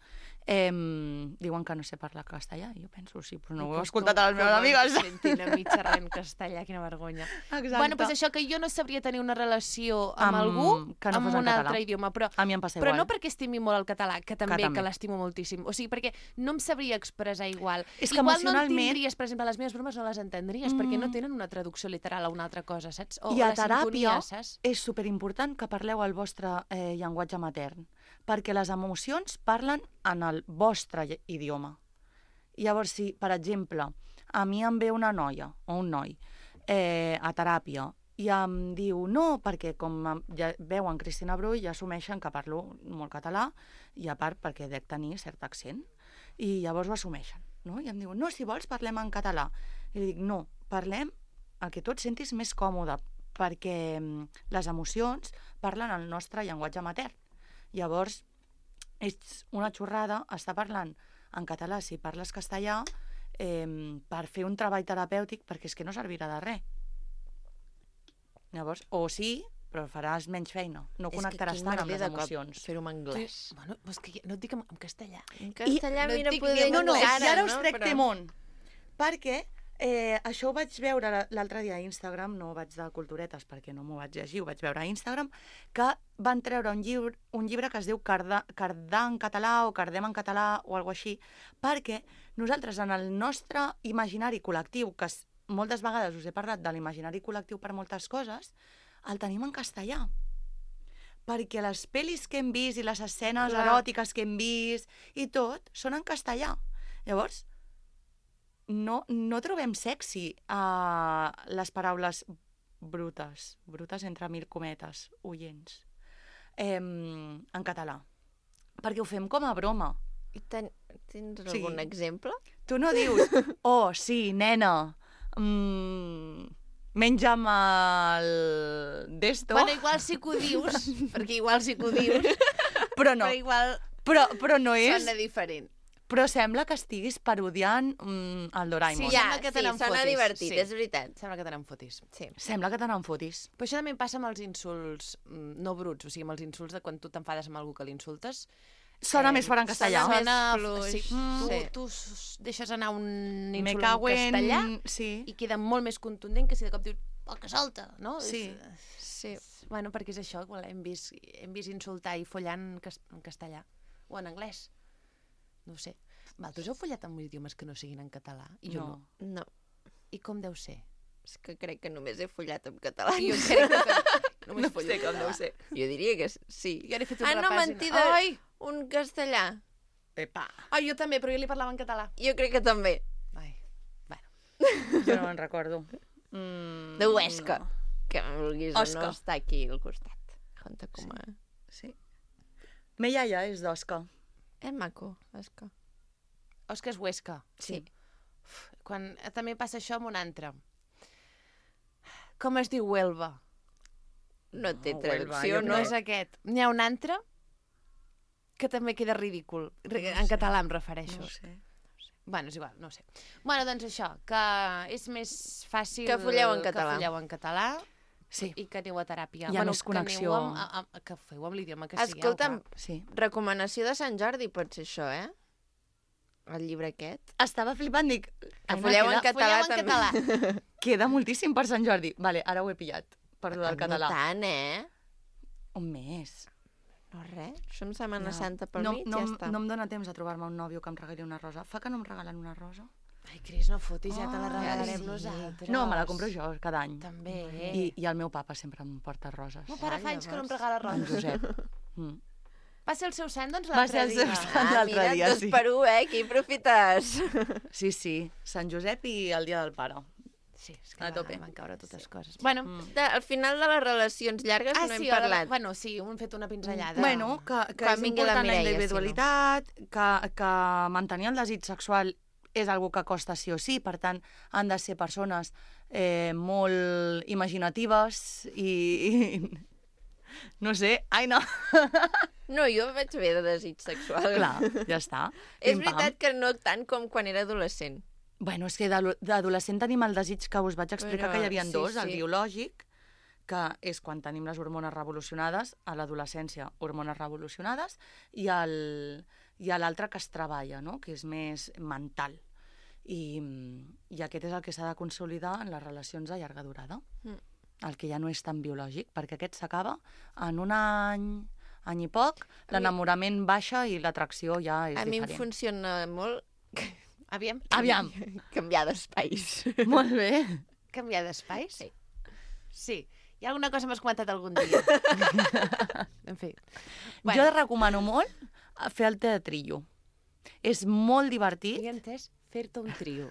eh, diuen que no sé parlar castellà. I jo penso, sí, però no ho he escoltat a les meves amigues. Sentin a mi xerrant castellà, quina vergonya. Exacte. Bueno, doncs això, que jo no sabria tenir una relació amb, Amb- algú que no amb fos en un català. altre idioma, però, A mi em passa però igual. no perquè estimi molt el català, que també, que, també. l'estimo moltíssim. O sigui, perquè no em sabria expressar igual. És que igual no emocionalment- entendries, per exemple, les meves bromes no les entendries, Mm. perquè no tenen una traducció literal a una altra cosa, saps? O I a la sintonia, teràpia saps? és superimportant que parleu el vostre eh, llenguatge matern, perquè les emocions parlen en el vostre lle- idioma. Llavors, si, per exemple, a mi em ve una noia o un noi eh, a teràpia i em diu no, perquè com em- ja veuen Cristina Brull ja assumeixen que parlo molt català i a part perquè dec tenir cert accent i llavors ho assumeixen, no? I em diuen, no, si vols parlem en català. I li dic, no, parlem el que tu et sentis més còmode, perquè mm, les emocions parlen el nostre llenguatge matern. Llavors, és una xorrada estar parlant en català si parles castellà eh, per fer un treball terapèutic, perquè és que no servirà de res. Llavors, o sí, però faràs menys feina. No connectaràs tant amb les emocions. Fer-ho en anglès. Sí. Bueno, és que no et dic en, en castellà. En castellà, no mira, dic poder ni- No, no, encara, i ara us no? trec Però- temón. Perquè eh, això ho vaig veure la- l'altre dia a Instagram, no vaig de culturetes perquè no m'ho vaig llegir, ho vaig veure a Instagram, que van treure un llibre, un llibre que es diu Cardà, Cardà en català o Cardem en català o alguna així, perquè nosaltres en el nostre imaginari col·lectiu, que es, moltes vegades us he parlat de l'imaginari col·lectiu per moltes coses, el tenim en castellà. Perquè les pel·lis que hem vist i les escenes Clar. eròtiques que hem vist i tot són en castellà. Llavors, no, no trobem sexy a les paraules brutes, brutes entre mil cometes, oients, eh, en català. Perquè ho fem com a broma. I ten... Tens Sí. algun exemple? Tu no dius, oh, sí, nena, mm, menja'm el d'esto, Bueno, igual sí que ho dius, perquè igual sí que ho dius, però no, però igual però, però no és... sona diferent. Però sembla que estiguis parodiant mm, el Doraemon. Sí, Ja, sembla que te sí, n'en sona fotis, divertit, sí. és veritat. Sembla que te n'en fotis. Sí. Sembla que te n'en fotis. Però això també em passa amb els insults mm, no bruts, o sigui, amb els insults de quan tu t'enfades amb algú que l'insultes. Sona Eh, més fort en castellà. sona Sona... fluix. Sí, Mm. tu, Sí. tu s- deixes anar un Me insult cago en en... castellà Sí. i queda molt més contundent que si de cop dius oh, que salta, no? Sí. És, Sí. bueno, perquè és això, igual hem vist, hem vist insultar i follar en, cas en castellà o en anglès. No ho sé. Vosaltres heu follat amb idiomes que no siguin en català? I jo no. No. No, I com deu ser? és que crec que només he follat en català. Jo crec que també. Només No follo sé en com català. deu ser. Jo diria que sí. Jo n'he fet un Ah, no, repàs i mentida. Ai! Un castellà. Epa. Ai, jo també, però jo li parlava en català. Jo crec que també. Ai, bueno. Jo no me'n recordo. Mm, De Huesca. no. Que vulguis Osca. o no està aquí al costat. Conta com a... Sí. Me iaia és d'Osca. És maco, Osca. Òscar és Huesca. Sí. Quan també passa això amb un altre. Com es diu Huelva? No té No, traducció, Huelva, jo No no? és aquest. N'hi ha un altre que també queda ridícul. No En sé. català em refereixo. No ho sé. Bueno, és igual, no ho sé. Bueno, doncs això, que és més fàcil... Que folleu en català. Que folleu en català Sí. i que aneu a teràpia. Hi ha bueno, més connexió. Que, aneu amb, amb, que feu amb l'idioma que sigueu. Escolta'm, Sí. recomanació de Sant Jordi pot ser això, eh? El llibre aquest. Estava flipant, dic... Que Aina, folleu en queda, català folleu en també. català. queda moltíssim per Sant Jordi. Vale, ara ho he pillat, per lo del No català. tant, eh? Un mes. No, res. Això em Setmana No. Santa pel no, mig, no, ja està. no em dóna temps a trobar-me un nòvio que em regali una rosa. Fa que no em regalen una rosa? Ai, Cris, no fotis, ja te la Oh, regalarem sí. nosaltres. No, me la compro jo cada any. També. I, I el meu papa sempre em porta roses. El meu pare Ah, fa anys que no em llavors. regala En roses. Josep. Mm. Va ser el seu sant, doncs, Va ser l'altre el dia. seu sant. Ah, l'altre mira, dia, dos sí. per un, eh? Aquí aprofites. Sí, sí. Sant Josep i el dia del pare. Sí, és que A va, tope. van caure totes coses. Bueno, Mm. De, al final de les relacions llargues ah, no sí, hem ara- parlat. Bueno, sí, hem fet una pinzellada. Bueno, que, que Quan és vingui la important la, Mireia, individualitat, que, que mantenir el desig sexual és algo que costa sí o sí, per tant, han de ser persones eh, molt imaginatives i, i... No sé, ai no. No, jo vaig bé de desig sexual. Clar, ja està. És Pim, pam. veritat que no tant com quan era adolescent. Bueno, és que d'ado- d'adolescent tenim el desig que us vaig explicar Però, que hi havia sí, dos, el sí. biològic, que és quan tenim les hormones revolucionades, a l'adolescència hormones revolucionades, i el- i a l'altre que es treballa, no? Que és més mental. I, i aquest és el que s'ha de consolidar en les relacions a llarga durada. Mm. El que ja no és tan biològic, perquè aquest s'acaba en un any, any i poc, A mi- l'enamorament baixa i l'atracció ja és A mi em diferent. funciona molt Aviam, Aviam, canviar d'espais. molt bé. canviar d'espais? Sí. Sí. Hi ha alguna cosa que m'has comentat algun dia? En fi. Jo recomano molt fer el teatrillo. És molt divertit. Havia entès fer-te un trio.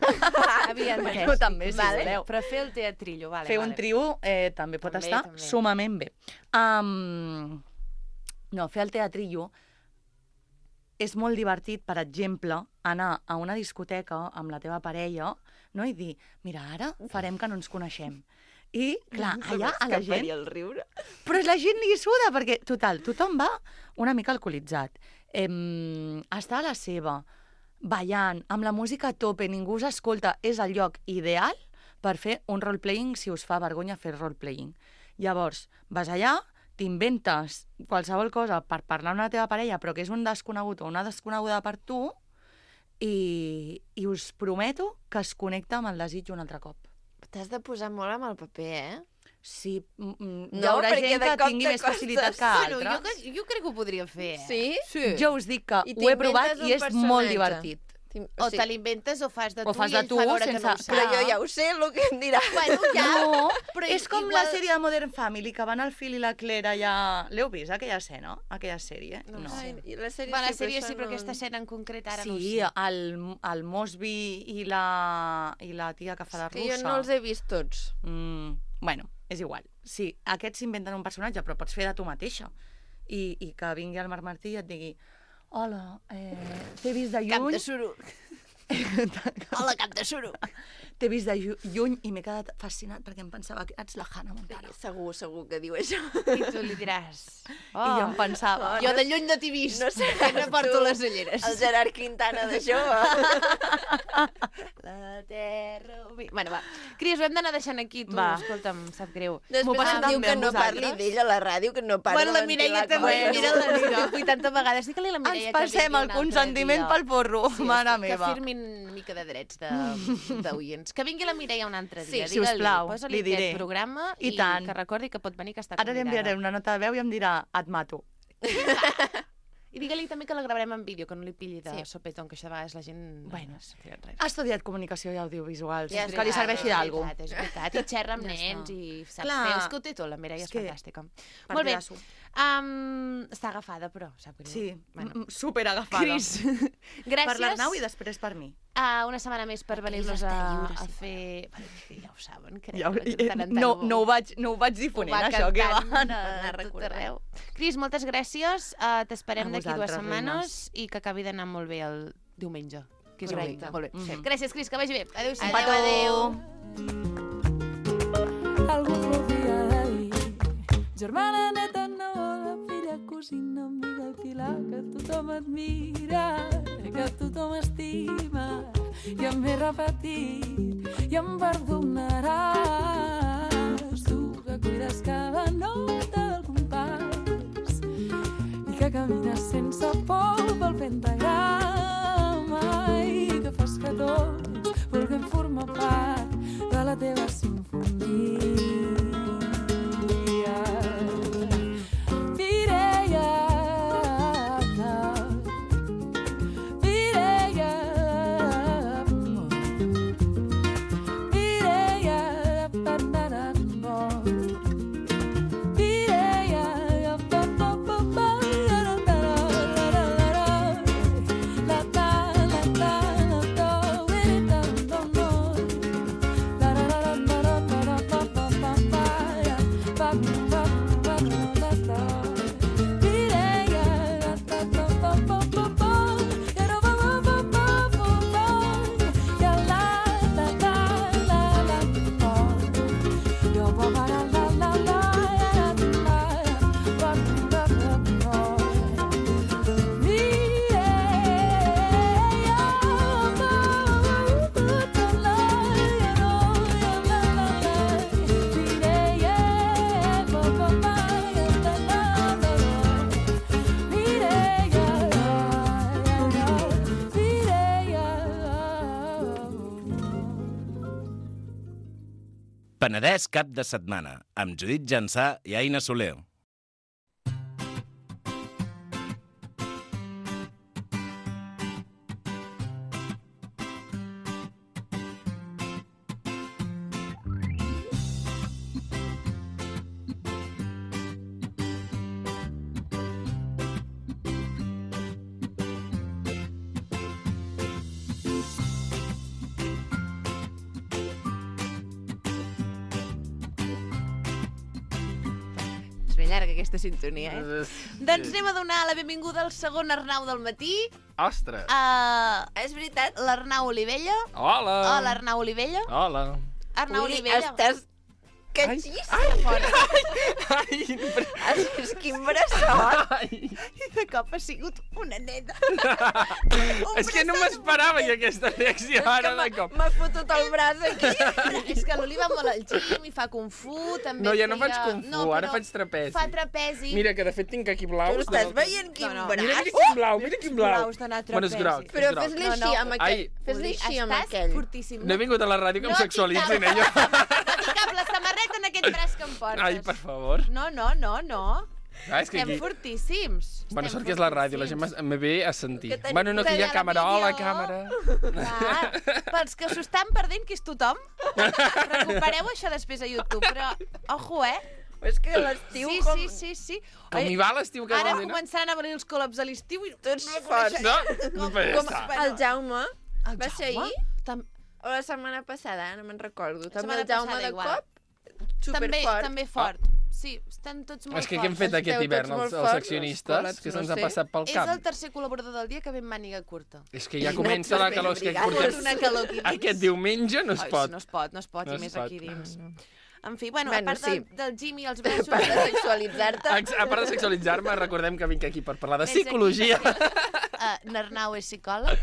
Havia entès. Bueno, també, si vale. voleu. Però fer el teatrillo, vale. Fer vale. un trio eh, també pot També, estar també. sumament bé. Um, no, fer el teatrillo és molt divertit, per exemple, anar a una discoteca amb la teva parella, no? I dir, mira, ara farem que no ens coneixem. I, clar, allà a la gent... el riure. Però la gent li suda, perquè, total, tothom va una mica alcoholitzat. Em, està a la seva, ballant, amb la música a tope, ningú us escolta. És el lloc ideal per fer un roleplaying si us fa vergonya fer roleplaying. Llavors, vas allà, t'inventes qualsevol cosa per parlar amb la teva parella, però que és un desconegut o una desconeguda per tu, i, i us prometo que es connecta amb el desig un altre cop. T'has de posar molt amb el paper, eh? Sí, mm, mm, No, hi haurà perquè gent de que cop tingui te més costa. facilitat que Bueno, altres. jo, que- jo crec que ho podria fer. Eh? Sí? Sí. Jo us dic que I ho he provat t'inventes i un és personatge. molt divertit. O te l'inventes o fas de tu O fas i de ell tu fa veure que sense- no ho sap. Però jo ja ho sé, el que em dirà. Bueno, ja. No, però és com igual- la sèrie de Modern Family, que van al Phil i la Claire allà... L'heu vist, aquella escena? Aquella sèrie? No No. ho sé. Ai, i la sèrie Va, la sí, sèrie això sí, però no- aquesta escena en concret ara no ho Sí, sé. el, el Mosby i la, i la tia que fa de Que russa. jo no els he vist tots. Mm, bueno, és igual. Sí, aquests s'inventen un personatge, però pots fer de tu mateixa. I, i que vingui el Marc Martí i et digui hola, eh, t'he vist de Cap lluny... de suro. Hola, cap de suro. T'he vist de llu- lluny i m'he quedat fascinat perquè em pensava que ets la Hannah Montana. Segur, segur que diu això. I tu li diràs... Oh, I jo em pensava... Oh, jo de lluny no t'he vist, No sé, que no porto tu, les ulleres. El Gerard Quintana de jove. La terra... Bueno, va. Cris, ho hem d'anar deixant aquí, tu. Va. Escolta'm, sap greu. Després M'ho passem em diu tan bé que amb no parli vosaltres. d'ell a la ràdio, que no parli Bueno, la Mireia també, mira, la dic vuitanta vegades. Digue-li a la Mireia Ens que passem vingui el un altre consentiment dia. pel porro, Sí, mare que, meva. Que firmin una mica de drets de- d'oients. Que vingui la Mireia un altre Sí, dia. si us Digue-li, plau, posa-li li diré. aquest programa I i, tant. que recordi que pot venir, que està Ara li convidada. enviaré una nota de veu i em dirà, et mato. I digue-li també que la gravarem en vídeo, que no li pilli de Sí. sopetón, que això de vegades la gent... Bueno. no sap res. Ha estudiat comunicació i audiovisuals, Ja que està, li serveixi és d'algú. veritat, És veritat, i xerra amb Ja nens està. i sap Clar. fer, és que ho té tot, la Mireia és, És que- fantàstica. Molt bé, Partidasso. um, està agafada, però, sap greu. Sí, Bueno. bueno. super agafada. Cris, gràcies. Per l'Arnau i després per mi. Uh, una setmana més per venir-nos a, està lliure, a sí. fer... Bueno, ja ho saben, crec. Ja, que de tant en tant no, ho- no, ho vaig, no ho vaig ho difonent, va això, que va. cantant anar a tot recordant. arreu. Cris, moltes gràcies. Uh, T'esperem A d'aquí dues vosaltres, setmanes i que acabi d'anar molt bé el diumenge. Que és Correcte. avui. Molt bé. Mhm. Gràcies, Cris, que vagi bé. Adéu-siau. Adéu, adéu. Algú podria dir germana neta, neboda, filla, cosina, amiga, pilar, que tothom admira, que tothom estima, i em m'he repetit i em perdonaràs. Tu que cuides cada nota del compàs i que camines sense por pel pentagrama i que fas que tots vulguem formar part de la teva sinfonia. Penedès cap de setmana, amb Judit Jansà i Aina Soler. Llarga aquesta sintonia, eh? Doncs anem a donar la benvinguda al segon Arnau del matí. Ostres! Uh, És veritat? L'Arnau Olivella. Hola! Hola, Arnau Olivella. Hola! Arnau Ui, Olivella. estàs catxíssim. Ai, ai, És quin bressot. ai. I de cop ha sigut una nena. És que no m'esperava jo aquesta reacció ara de cop. M'ha fotut el braç aquí. És que l'Oliva molt al gym i fa Kung Fu, també No, ja no feia... faig Kung Fu, no, ara però faig trapezi. Fa trapezi. Mira, que de fet tinc aquí blaus. Tu estàs veient quin No, no. braç? Mira, mira quin blau, mira quin blau. Blaus d'anar a Bueno, és trapezi. groc. Però és groc. fes-li No, així no. amb aquell. Ai. Fes-li Uli, així amb estàs aquell. fortíssim. No he vingut a la ràdio que em No sexualitzin, tinc eh, jo. cap- No tinc cap la samarreta en aquest braç que em portes. Ai, per favor. No, no, no, no. Ah, és que Estem aquí... fortíssims. Bueno, Estem sort que és la ràdio, la gent fortíssims. me ve a sentir. Que tenim Bueno, no, que hi ha la càmera. Hola, vídeo. càmera. Clar, pels que s'ho estan perdent, que és tothom, recupereu això després a YouTube, però, ojo, eh? És que l'estiu Sí, com... sí, sí, sí. Com hi va l'estiu que Ara vol dir, no? començaran a venir els col·laps a l'estiu i Tots no forts. coneixem No? com- Però ja com- està. bueno, El Jaume el va ser Jaume? ahir? Tam o la setmana passada, no me'n recordo. També setmana el Jaume passada de igual. cop, també, superfort. també fort. Sí, estan tots molt És que forts. què hem fet Esteu aquest tots hivern, molt els, els forts, accionistes, escolats, que no se'ns ha sé. passat pel És cap? el tercer col·laborador del dia que ve amb màniga curta. És que ja comença la calor, és que Brigades. portem... Una calor aquí dins. Aquest diumenge no es Ai, pot. No es pot, no es pot, No i es més pot. aquí dins. En fi, bueno, Bueno, a part sí. del, del gym i els Per braços... part de sexualitzar-te. Ex- A part de sexualitzar-me, recordem que vinc aquí per parlar de Vens aquí psicologia. perquè, Uh, N'Arnau és psicòleg?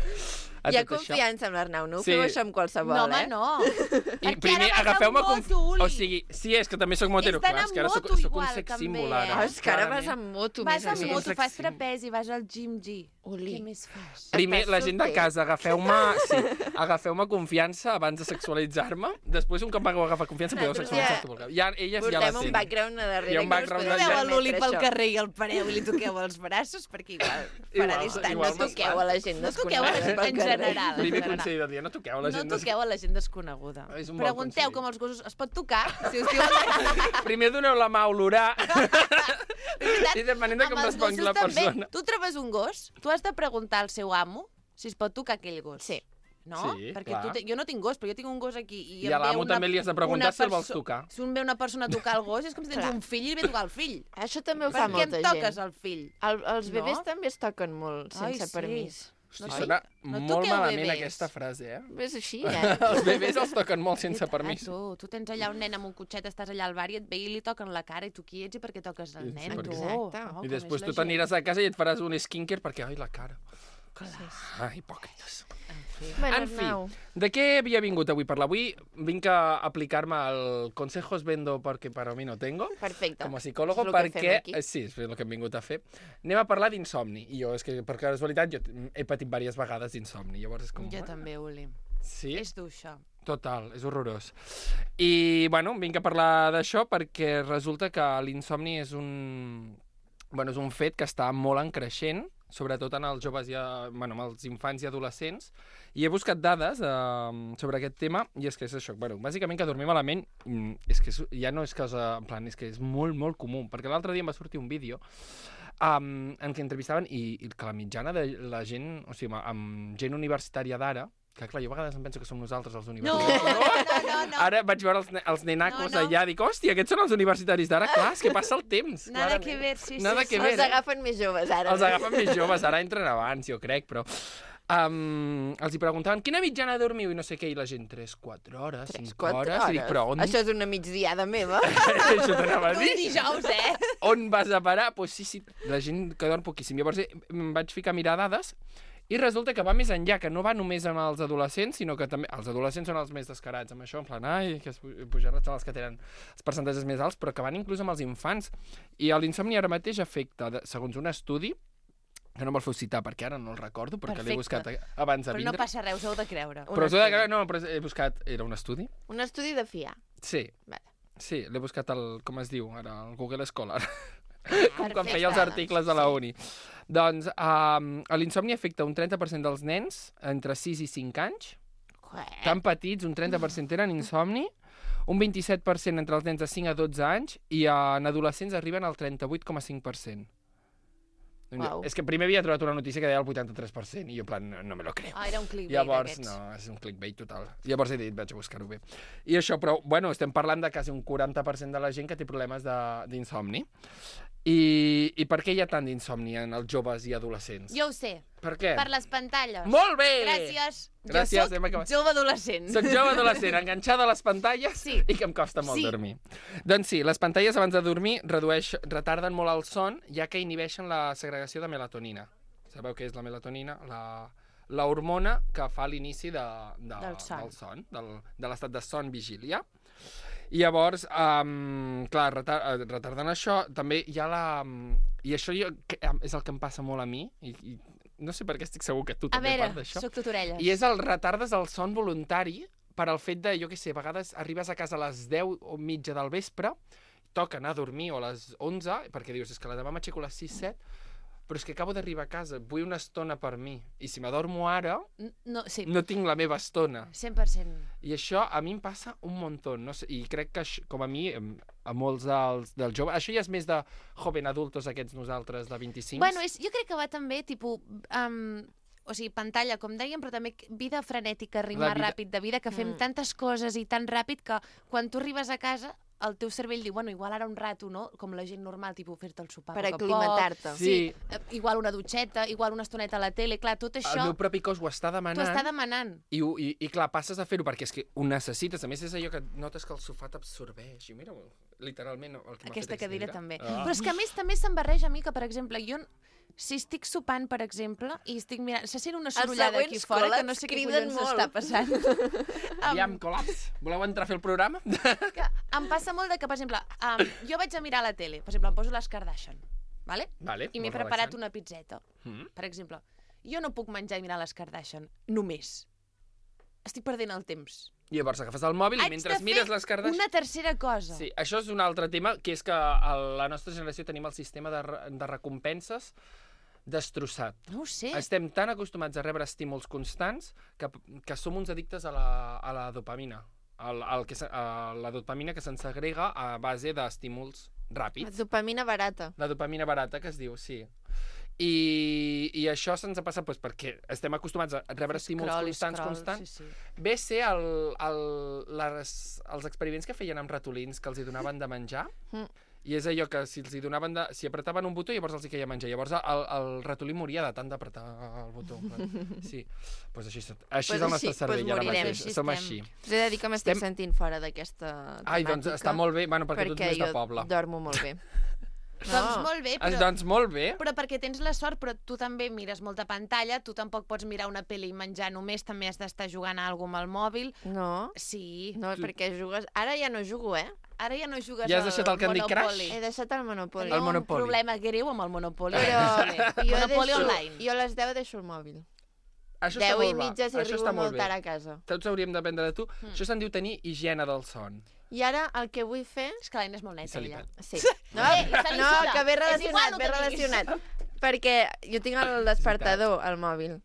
A Hi ha tot això. confiança amb l'Arnau, no ho Sí. feu això amb qualsevol, No, home, eh? no. I Perquè primer ara vas agafeu-me amb com... moto, Uli. O sigui, sí, és que també sóc motero, És clar, d'anar és que ara amb soc, moto soc un igual, sex també, símbol, eh? ara. Oh, és que ara clarament. vas amb moto. Vas més amb a sí, més. moto, sex fas symbol. trapezi, vas al gym G. Uli. Què més fas? Primer, Estàs la gent de solter. casa, agafeu-me sí, agafeu-me confiança abans de sexualitzar-me. Després, un cop m'hagueu agafat confiança, podeu Nosaltres sexualitzar ja tot el que... Ja, elles ja la Portem un tenen. background a darrere Hi ha un que no es background podem de- Veu a l'Uli permetre pel això. carrer i el pareu i li toqueu els braços, perquè igual farà Igual, distant. igual No toqueu a la gent No toqueu a la gent desconeguda en pel carrer. general. en Primer general. consell del dia, no toqueu a la No gent. des- toqueu a la gent desconeguda. És un bon Pregunteu consell. com els gossos. Es pot tocar? Si us diuen... Primer doneu la mà a olorar veritat, i depenent de amb com els respongui gossos la també. persona. Tu trobes un gos, tu has de preguntar al seu amo si es pot tocar aquell gos. Sí. No? Sí, Perquè clar. tu te... jo no tinc gos, però jo tinc un gos aquí. I, I a em ve l'amo una- també li has de preguntar una si el vols perso- tocar. Si un ve una persona a tocar el gos, és com si tens Clar. un fill i ve a tocar el fill. Això també ho Per fa què molta em toques gent. el fill? El, els bebès No? també es toquen molt Ai, sense sí. permís. Hosti, No, sona no molt toqueu malament bebès. aquesta frase, eh? És així, eh? Els bebès els toquen molt sense Ah, permís. tu, tu tens allà un nen amb un cotxet, estàs allà al bar i et ve i li toquen la cara i tu qui ets i per què toques el Sí, nen, sí, tu? Exacte. Oh, I com després és tu la gent. t'aniràs a casa i et faràs un skincare perquè, ai, la cara. Ah, hipòcrites. Bueno, En fi, Arnau, de què havia vingut avui a parlar? Avui vinc a aplicar-me el consejos vendo porque para mí no tengo, perfecte. com a psicòlogo, És el que fem perquè... aquí. eh, Sí, és el que hem vingut a fer. Anem a parlar d'insomni. I jo, és que per casualitat, jo he patit diverses vegades d'insomni. Llavors és com... Jo ah, també, Uli. Sí? És dur, això. Total, és horrorós. I, bueno, vinc a parlar d'això perquè resulta que l'insomni és un... Bueno, és un fet que està molt en creixent, sobretot en els joves i a, bueno, en els infants i adolescents, i he buscat dades eh, sobre aquest tema, i és que és això, bueno, bàsicament que dormir malament mm, és que és, ja no és cosa, en plan, és que és molt, molt comú, perquè l'altre dia em va sortir un vídeo um, en què entrevistaven i, i que la mitjana de la gent, o sigui, amb, amb gent universitària d'ara, que clar, jo a vegades em penso que som nosaltres els No, universitaris. no, no, no. Ara vaig veure els, ne els nenacos No, no. allà, dic, hòstia, aquests són els universitaris d'ara. Clar, és que passa el temps. Nada clarament. que ver, sí, Nada sí, que sí. ver, Els eh? agafen més joves, ara. Els agafen més joves, ara entren abans, jo crec, però... Um, els hi preguntaven, quina mitjana dormiu? I no sé què, i la gent, tres, quatre hores, Tres, cinc quatre hores. I dic, però on... Això és una migdiada meva. Això t'anava a Un dir. dijous, eh? On vas a parar? Doncs pues sí, sí, la gent que dorm poquíssim. Llavors eh, em vaig ficar a mirar dades i resulta que va més enllà, que no va només amb els adolescents, sinó que també... Els adolescents són els més descarats amb això, en plan, ai, que es pujaran els que tenen els percentatges més alts, però que van inclús amb els infants. I l'insomni ara mateix afecta, de, segons un estudi, que no me'l feu citar perquè ara no el recordo, perquè l'he buscat abans de Però vindre. no passa res, us heu de creure. Però us heu de creure, no, però he buscat... Era un estudi? Un estudi de fiar. Sí. Vale. Sí, l'he buscat al... Com es diu ara? Al Google Scholar. Com quan Perfecte, feia els doncs, articles a la uni. Doncs um, l'insomni afecta un trenta per cent dels nens entre sis i cinc anys. Què? Tan petits, un trenta per cent tenen insomni, un vint-i-set per cent entre els nens de cinc a dotze anys i en adolescents arriben al trenta-vuit coma cinc per cent. Uau. És que primer havia trobat una notícia que deia el vuitanta-tres per cent i jo en plan, no, no me lo creo. Ah, era un clickbait Llavors, d'aquests. no, és un clickbait total. Llavors he dit, vaig a buscar-ho bé. I això, però, bueno, estem parlant de quasi un quaranta per cent de la gent que té problemes d'insomni. I, I per què hi ha tant d'insomni en els joves i adolescents? Jo ho sé, Per què? per les pantalles. Molt bé! Gràcies. Gràcies, jo hem soc acabat. jove adolescent. Soc jove adolescent, enganxada a les pantalles Sí. i que em costa molt Sí. dormir. Doncs sí, les pantalles abans de dormir redueix, retarden molt el son, ja que inhibeixen la segregació de melatonina. Sabeu què és la melatonina? La, la hormona que fa l'inici de, de, Del son. del son, del, de l'estat de son vigília. I llavors, um, clar, retar, eh, retarden això, també hi ha la... I això jo, que, és el que em passa molt a mi, i, i no sé per què estic segur que tu A també veure, part d'això. soc tot orelles. I és el retardes el son voluntari per al fet de, jo què sé, a vegades arribes a casa a les deu o mitja del vespre, toca anar a dormir o a les onze, perquè dius, és que la demà m'aixeco a les sis set, però és que acabo d'arribar a casa, vull una estona per mi. I si m'adormo ara, N- No, sí, no tinc la meva estona. cent per cent. I això a mi em passa un muntó. No sé, I crec que, això, com a mi, em- a molts dels, dels joves... Això ja és més de joven adultos, aquests nosaltres, de vint-i-cinc. Bueno, és, jo crec que va també, tipus, um, o sigui, pantalla, com dèiem, però també vida frenètica, ritme La vida- ràpid de vida, que fem Mm. tantes coses i tan ràpid que quan tu arribes a casa el teu cervell diu, bueno, igual ara un rato, no? Com la gent normal, tipus, fer-te el sopar Per a poc a poc. aclimatar-te. Sí. eh, igual una dutxeta, igual una estoneta a la tele, clar, tot El això meu propi cos ho està t'ho demanant. està demanant. I, ho- i, I clar, passes a fer-ho perquè és que ho necessites. A més, és allò que notes que el sofà t'absorbeix. I mira, literalment, el que m'ha Aquesta fet cadira extendre. també. Ah. Però és que a més també se'n barreja a mi que, per exemple, jo si estic sopant, per exemple, i estic mirant... Se sent una sorollada aquí següents fora que no col·laps sé què criden collons molt. està passant. Aviam, col·laps. Voleu entrar a fer el programa? que em passa molt de que, per exemple, um, jo vaig a mirar la tele, per exemple, em poso les Kardashian, vale? Vale, I m'he molt preparat relaxant. una pizzeta, Mm. per exemple. Jo no puc menjar i mirar les Kardashian, només. Estic perdent el temps. I llavors agafes el mòbil i Haig mentre de fer mires les Kardashian... una tercera cosa. Sí, això és un altre tema, que és que a la nostra generació tenim el sistema de, re- de recompenses destrossat. No ho sé. Estem tan acostumats a rebre estímuls constants que, que som uns addictes a la, a la dopamina. El, el que, se- a la dopamina que se'n segrega a base d'estímuls ràpids. Dopamina barata. La dopamina barata, que es diu, sí. I, i això se'ns ha passat doncs, perquè estem acostumats a rebre estímuls Scroll, constants, scroll, constants. Sí, sí. Ve a ser el, el, les, els experiments que feien amb ratolins que els hi donaven de menjar, Mm. i és allò que si els hi donaven de, si apretaven un botó llavors els hi queia menjar, llavors el, el ratolí moria de tant d'apretar el botó. Sí, doncs així, així Pues és el nostre així, cervell pues ara morirem. mateix, Així som estem. així. Us he de dir que m'estic Estem- sentint fora d'aquesta temàtica. Ai, doncs està molt bé, bueno, perquè, tu ets perquè més de jo poble. dormo molt bé. No. Doncs molt bé, Però... però... Doncs molt bé. Però perquè tens la sort, però tu també mires molta pantalla, tu tampoc pots mirar una pel·li i menjar només, també has d'estar jugant a alguna amb el mòbil. No. Sí. No, perquè jugues... Ara ja no jugo, eh? Ara ja no jugues Ja has deixat el Candy Monopoly. Crush? He deixat el Monopoly. El Tenim Monopoly. un problema greu amb el Monopoly. Però jo Monopoly deixo... online. Jo a les deu deixo el mòbil. Això està deu molt i bé. mitja si Això arribo està molt molt bé. tard a casa. Tots hauríem d'aprendre de tu. Mm. Això se'n diu tenir higiene del son. I ara el que vull fer... És que l'Aina és molt I neta, se li ella. perd. Sí. No, Eh, i se li no suda. que ve És relacionat, igual, no ve te diguis. relacionat. Perquè jo tinc el despertador al mòbil.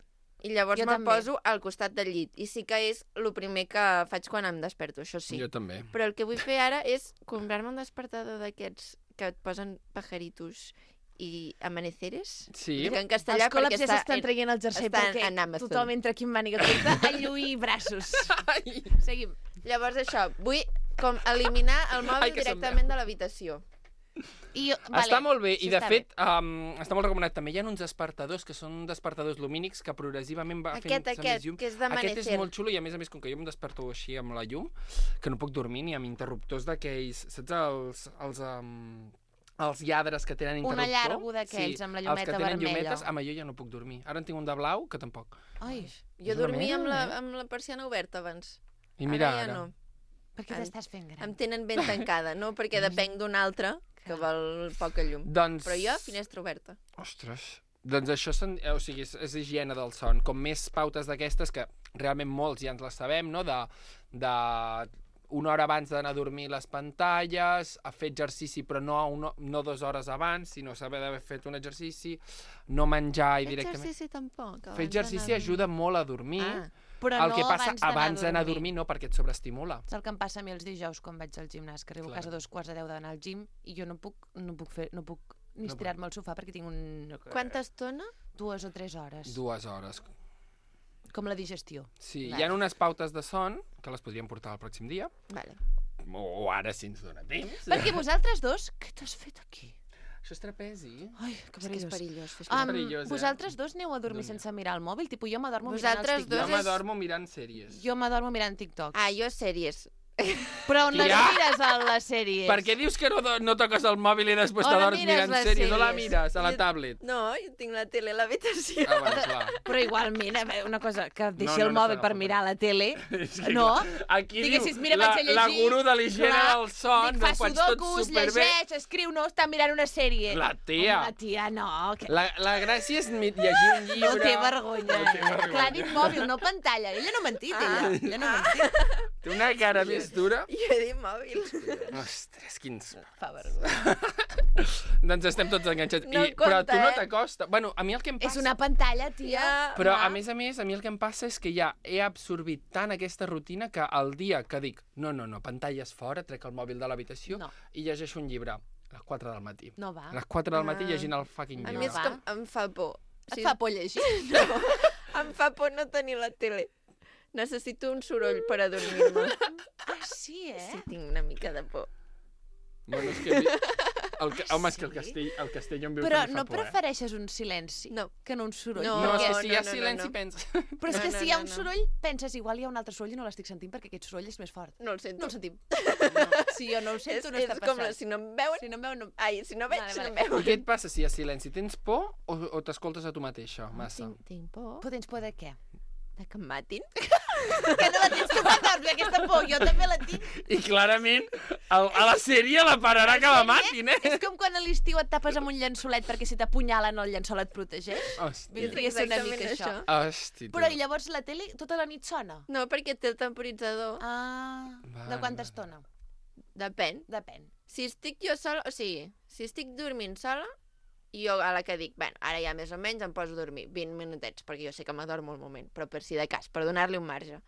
I llavors Jo me'l també. poso al costat del llit. I sí que és el primer que faig quan em desperto, això sí. Jo també. Però el que vull fer ara és comprar-me un despertador d'aquests que et posen pajaritos i amaneceres. Sí. Dic en castellà Els col·laps perquè ja està s'estan en- traient el jersei està perquè en Amazon. tothom entra aquí amb màniga curta a lluir braços. Ai. Seguim. Llavors això, vull com eliminar el mòbil Ai, que se'm directament veu. de l'habitació. I, Està molt bé, sí, i de està fet um, està molt recomanat. També hi ha uns despertadors que són despertadors lumínics que progressivament va Aquest, fent-se aquest, més llum. que és Aquest d'amanecer. és molt xulo i a més a més, com que jo em desperto així amb la llum, que no puc dormir ni amb interruptors d'aquells, saps els... els um, els lladres que tenen Una interruptor. llargo d'aquells, amb la llumeta els que tenen vermella. llumetes, amb allò ja no puc dormir. Ara en tinc un de blau, que tampoc. Ai, Jo És una dormia amb la, merda. amb la persiana oberta abans. I mira ara. ara. Ja no. per què Em- t'estàs fent gran? Em tenen ben tancada, no? Perquè depenc d'un altre que vol poca llum. Doncs... Però jo, finestra oberta. Ostres. Doncs això són, eh, o sigui, és, és higiene del son. Com més pautes d'aquestes, que realment molts ja ens les sabem, no? De, de una hora abans d'anar a dormir les pantalles, a fer exercici però no, una, no dues hores abans, sinó saber d'haver fet un exercici, no menjar i directament... Exercici tampoc. Fer exercici ajuda molt a dormir. Ah, Però el no que passa abans d'anar abans d'anar a dormir no, perquè et sobreestimula. És el que em passa a mi els dijous quan vaig al gimnàs, que arribo Clar. a casa a dos quarts de deu d'anar al gym i jo no puc, no puc fer, no puc ni No estirar-me al sofà perquè tinc un... quanta estona? dues o tres hores. Dues hores. Com la digestió. Sí, Vale. hi ha unes pautes de son que les podríem portar el pròxim dia, Vale. o, o ara si ens dona temps. Perquè vosaltres dos, què t'has fet aquí? Això és trapezi. Ai, És que que és perillós. perillós. Fer Um, perillós, eh? vosaltres dos aneu a dormir Dóna. sense mirar el mòbil? Tipo, jo m'adormo mirant Vosaltres els dos Jo TikToks. és- m'adormo mirant sèries. Jo m'adormo mirant TikToks. Ah, jo sèries. Però on les Tia! mires a les sèries? Per què dius que no, do- no toques el mòbil i després On t'adorms mires mirant les sèries? O la sèries? mires a la Jo- tablet? No, jo tinc la tele a l'habitació. Ah, bueno, clar. Però igualment, a veure, una cosa, que deixi no, el no mòbil s'agafa per per- mirar la tele, És que, no? clar, Aquí Diguessis, diu mira, la, vaig a la llegir, guru de l'higiene clar, del son, Dic, ho fa faig tot sudokus, superbé. llegeix, escriu, no, està mirant una sèrie. La tia. Home, la tia, no. Que... La, la gràcia és mi- llegir un llibre... No té vergonya. No té vergonya. Clar, ha dit mòbil, no pantalla. Ella no ha mentit, ella. Ah. Ella no ha mentit. Té una cara més dura. Jo he dit mòbil. Ostres, quins... Fa vergonya. Doncs estem tots enganxats. No I, però compta, tu no eh? t'acosta. Bueno, a mi el que em passa... És una pantalla, tia. Ja, Però, va. a més a més, a mi el que em passa és que ja he absorbit tant aquesta rutina que el dia que dic no, no, no, pantalles fora, trec el mòbil de l'habitació No. i llegeixo un llibre a les quatre del matí. No va. A les quatre del matí Ah. llegint el fucking A llibre. mi és va. que em fa por. Et fa por llegir? No, em fa por no tenir la tele. Necessito un soroll per adormir-me. Ah, sí, eh? Sí, tinc una mica de por. Bueno, és que... El, que- home, és que el castell, el castell on vius Però també fa no por, eh? prefereixes un silenci No. que no un soroll? No, No, és que no, si hi ha no, no, silenci, no. pensa... Però és No, que no, si hi ha no, un no. soroll, penses, igual hi ha un altre soroll i no l'estic sentint perquè aquest soroll és més fort. No el No sento. el sentim. No. Si jo no ho és, sento, no és està com passant. la, si no em veuen... Si no em veuen, no... Ai, si no veig, Vale, si vale. no em I veuen. què et passa si hi ha silenci? Tens por o, o t'escoltes a tu mateixa, massa? Tinc, tinc por Però tens por de què? de que em matin. Que no la tens tu quan dorms, aquesta por. Jo també la tinc. I clarament el, a la sèrie la pararà que la matin, eh? És com quan a l'estiu et tapes amb un llençolet perquè si t'apunyalen el llençol et protegeix. Hòstia. Vindria a ser una exactament mica això. això. Hosti, tu. Però i llavors la tele tota la nit sona? No, perquè té el temporitzador. Ah, Vale, de quanta vale. estona? Depèn. Depèn. Si estic jo sola, o sigui, si estic dormint sola, jo a la que dic, bueno, ara ja més o menys em poso a dormir vint minutets, perquè jo sé que m'adormo al moment, però per si de cas, per donar-li un marge.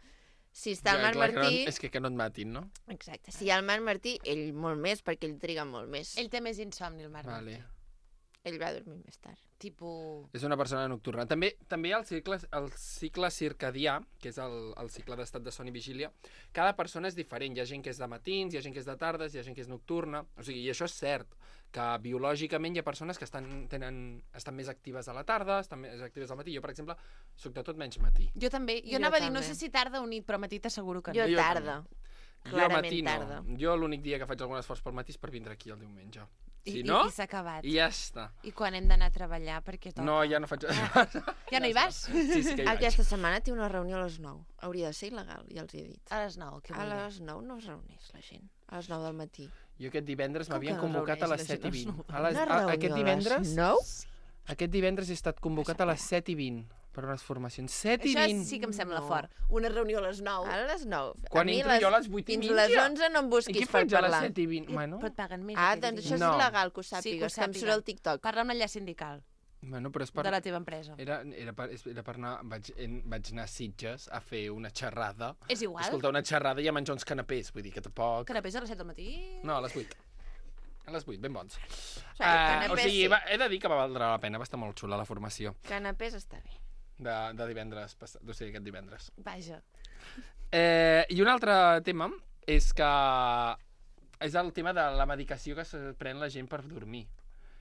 Si està el Ja, Marc clar, que no- Martí... És que que no et matin, no? Exacte. Si hi ha el Marc Martí, ell molt més, perquè ell triga molt més. Ell té més insomni, el Marc. Vale. Ell va dormir més tard. Tipo... És una persona nocturna. També també hi ha el cicle, el cicle circadià, que és el, el cicle d'estat de son i vigília. Cada persona és diferent. Hi ha gent que és de matins, hi ha gent que és de tardes, hi ha gent que és nocturna. O sigui, i això és cert, que biològicament hi ha persones que estan, tenen, estan més actives a la tarda, estan més actives al matí. Jo, per exemple, soc de tot menys matí. Jo també. Jo, Jo anava a dir, no també. sé si tarda o nit, però matí t'asseguro que Jo no. Jo tarda. Jo Clarament matí no. tarda. Jo l'únic dia que faig algun esforç pel matí és per vindre aquí el diumenge. Si I, no, i s'ha acabat. i ja està. I quan hem d'anar a treballar, perquè toca? No, ja no faig... Ja no hi vas? Sí, sí que hi vaig. Aquesta setmana té una reunió a les nou. Hauria de ser il·legal, ja els he dit. A les nou, què A vol dir? les nou no es reuneix la gent. A les nou del matí. Jo aquest divendres Com m'havien que no convocat a reuneix les la set i gent vint. a les A les, Una a, reunió aquest a les divendres... nou? Aquest divendres he estat convocat a les set i vint per unes formacions. set i Això vint! sí que em sembla No. fort. Una reunió a les nou. A les nou. Quan a mi entro jo a les vuit i Fins mitja. les onze no em I busquis què per faig a les parlar. set i vint? Bueno, Però et paguen més. Ah, aquell doncs dia. això és No. il·legal, que ho Sí, que ho sàpigues, que em surt sàpiga. al TikTok. Parla amb l'enllaç sindical bueno, però és per... de la teva empresa. Era, era, per, era per anar... Vaig, en, vaig anar a Sitges a fer una xerrada. És igual. Escoltar una xerrada i a menjar uns canapés. Vull dir que tampoc... Canapés a les set del matí? No, a les vuit. A les vuit, ben bons. O sigui, Uh, o canapés sigui, sí. va, he de dir que va valdre la pena, va estar molt xula la formació Canapés està bé. de, de divendres, passat, o sigui, aquest divendres. Vaja. Eh, I un altre tema és que és el tema de la medicació que se pren la gent per dormir.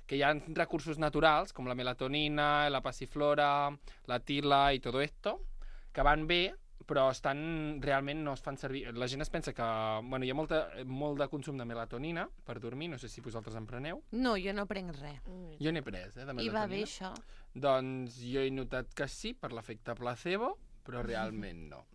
Que hi ha recursos naturals, com la melatonina, la passiflora, la tila i tot esto, que van bé, però estan, realment no es fan servir. La gent es pensa que bueno, hi ha molta, molt de consum de melatonina per dormir, no sé si vosaltres en preneu. No, jo no prenc res. Jo n'he pres, eh, de melatonina. I va bé, això? Doncs jo he notat que sí, per l'efecte placebo, però realment no.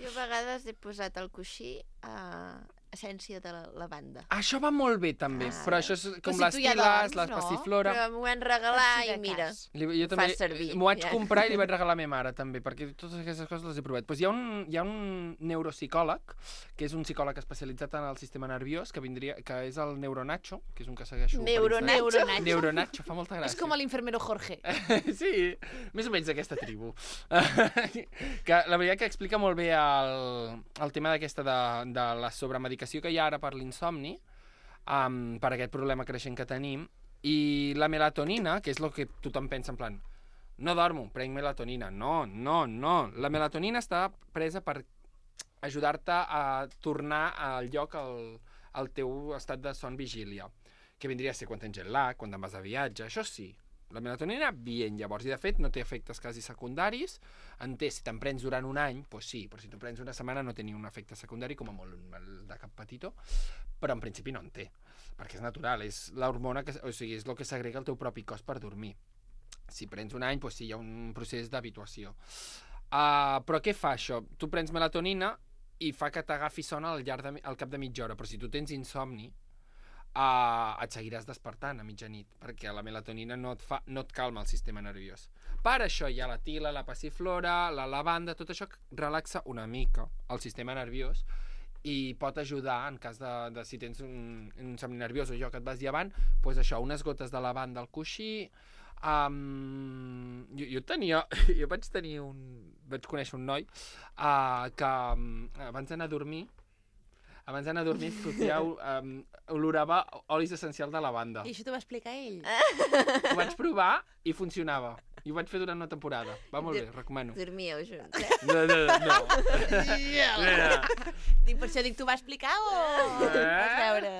Jo a vegades he posat al coixí a essència de la lavanda. Això va molt bé, també, Ah. però això és com si les tu ja tiles, dorms, les no? passiflora... Però m'ho van regalar Per si de i mira, cas. Li, jo Ho també fas servir, m'ho vaig ja. comprar i li vaig regalar a la meva mare també, perquè totes aquestes coses les he provat. Pues hi ha un, hi ha un neuropsicòleg, que és un psicòleg especialitzat en el sistema nerviós, que vindria, que és el Neuronacho, que és un que segueixo... per Neuronacho? Instagram. Neuronacho, fa molta gràcia. És com l'infermero Jorge. Sí, més o menys d'aquesta tribu. Que la veritat que explica molt bé el, el tema d'aquesta de, de la sobremedicació que hi ha ara per l'insomni, um, per aquest problema creixent que tenim, i la melatonina, que és el que tothom pensa en plan, no dormo, prenc melatonina. No, no, no. La melatonina està presa per ajudar-te a tornar al lloc al, al teu estat de son vigília, que vindria a ser quan tens jet lag, quan te'n vas de viatge, això sí. La melatonina, bien, llavors, i de fet no té efectes quasi secundaris, en té, si te'n prens durant un any, doncs sí, però si te'n prens una setmana no té ni un efecte secundari, com a molt el de cap petitó, però en principi no en té, perquè és natural, és l'hormona, que, o sigui, és el que s'agrega al teu propi cos per dormir. Si prens un any, doncs sí, hi ha un procés d'habituació. Uh, però què fa això? Tu prens melatonina i fa que t'agafi son al, llarg de, al cap de mitja hora, però si tu tens insomni, Uh, et seguiràs despertant a mitjanit, perquè la melatonina no et, fa, no et calma el sistema nerviós. Per això hi ha la tila, la passiflora, la lavanda, tot això que relaxa una mica el sistema nerviós i pot ajudar en cas de, de si tens un, un somni nerviós o jo que et vas llevant, doncs això, unes gotes de lavanda al coixí. Um, jo, jo tenia, jo vaig tenir un, vaig conèixer un noi uh, que um, abans d'anar a dormir abans d'anar a dormir fotia, um, olorava olis essencials de lavanda. I això t'ho va explicar ell? Ho vaig provar i funcionava. I ho vaig fer durant una temporada. Va molt bé, recomano. Dormíeu junts, eh? No, no, no. Dic, per això dic, t'ho va explicar o Eh? vas veure?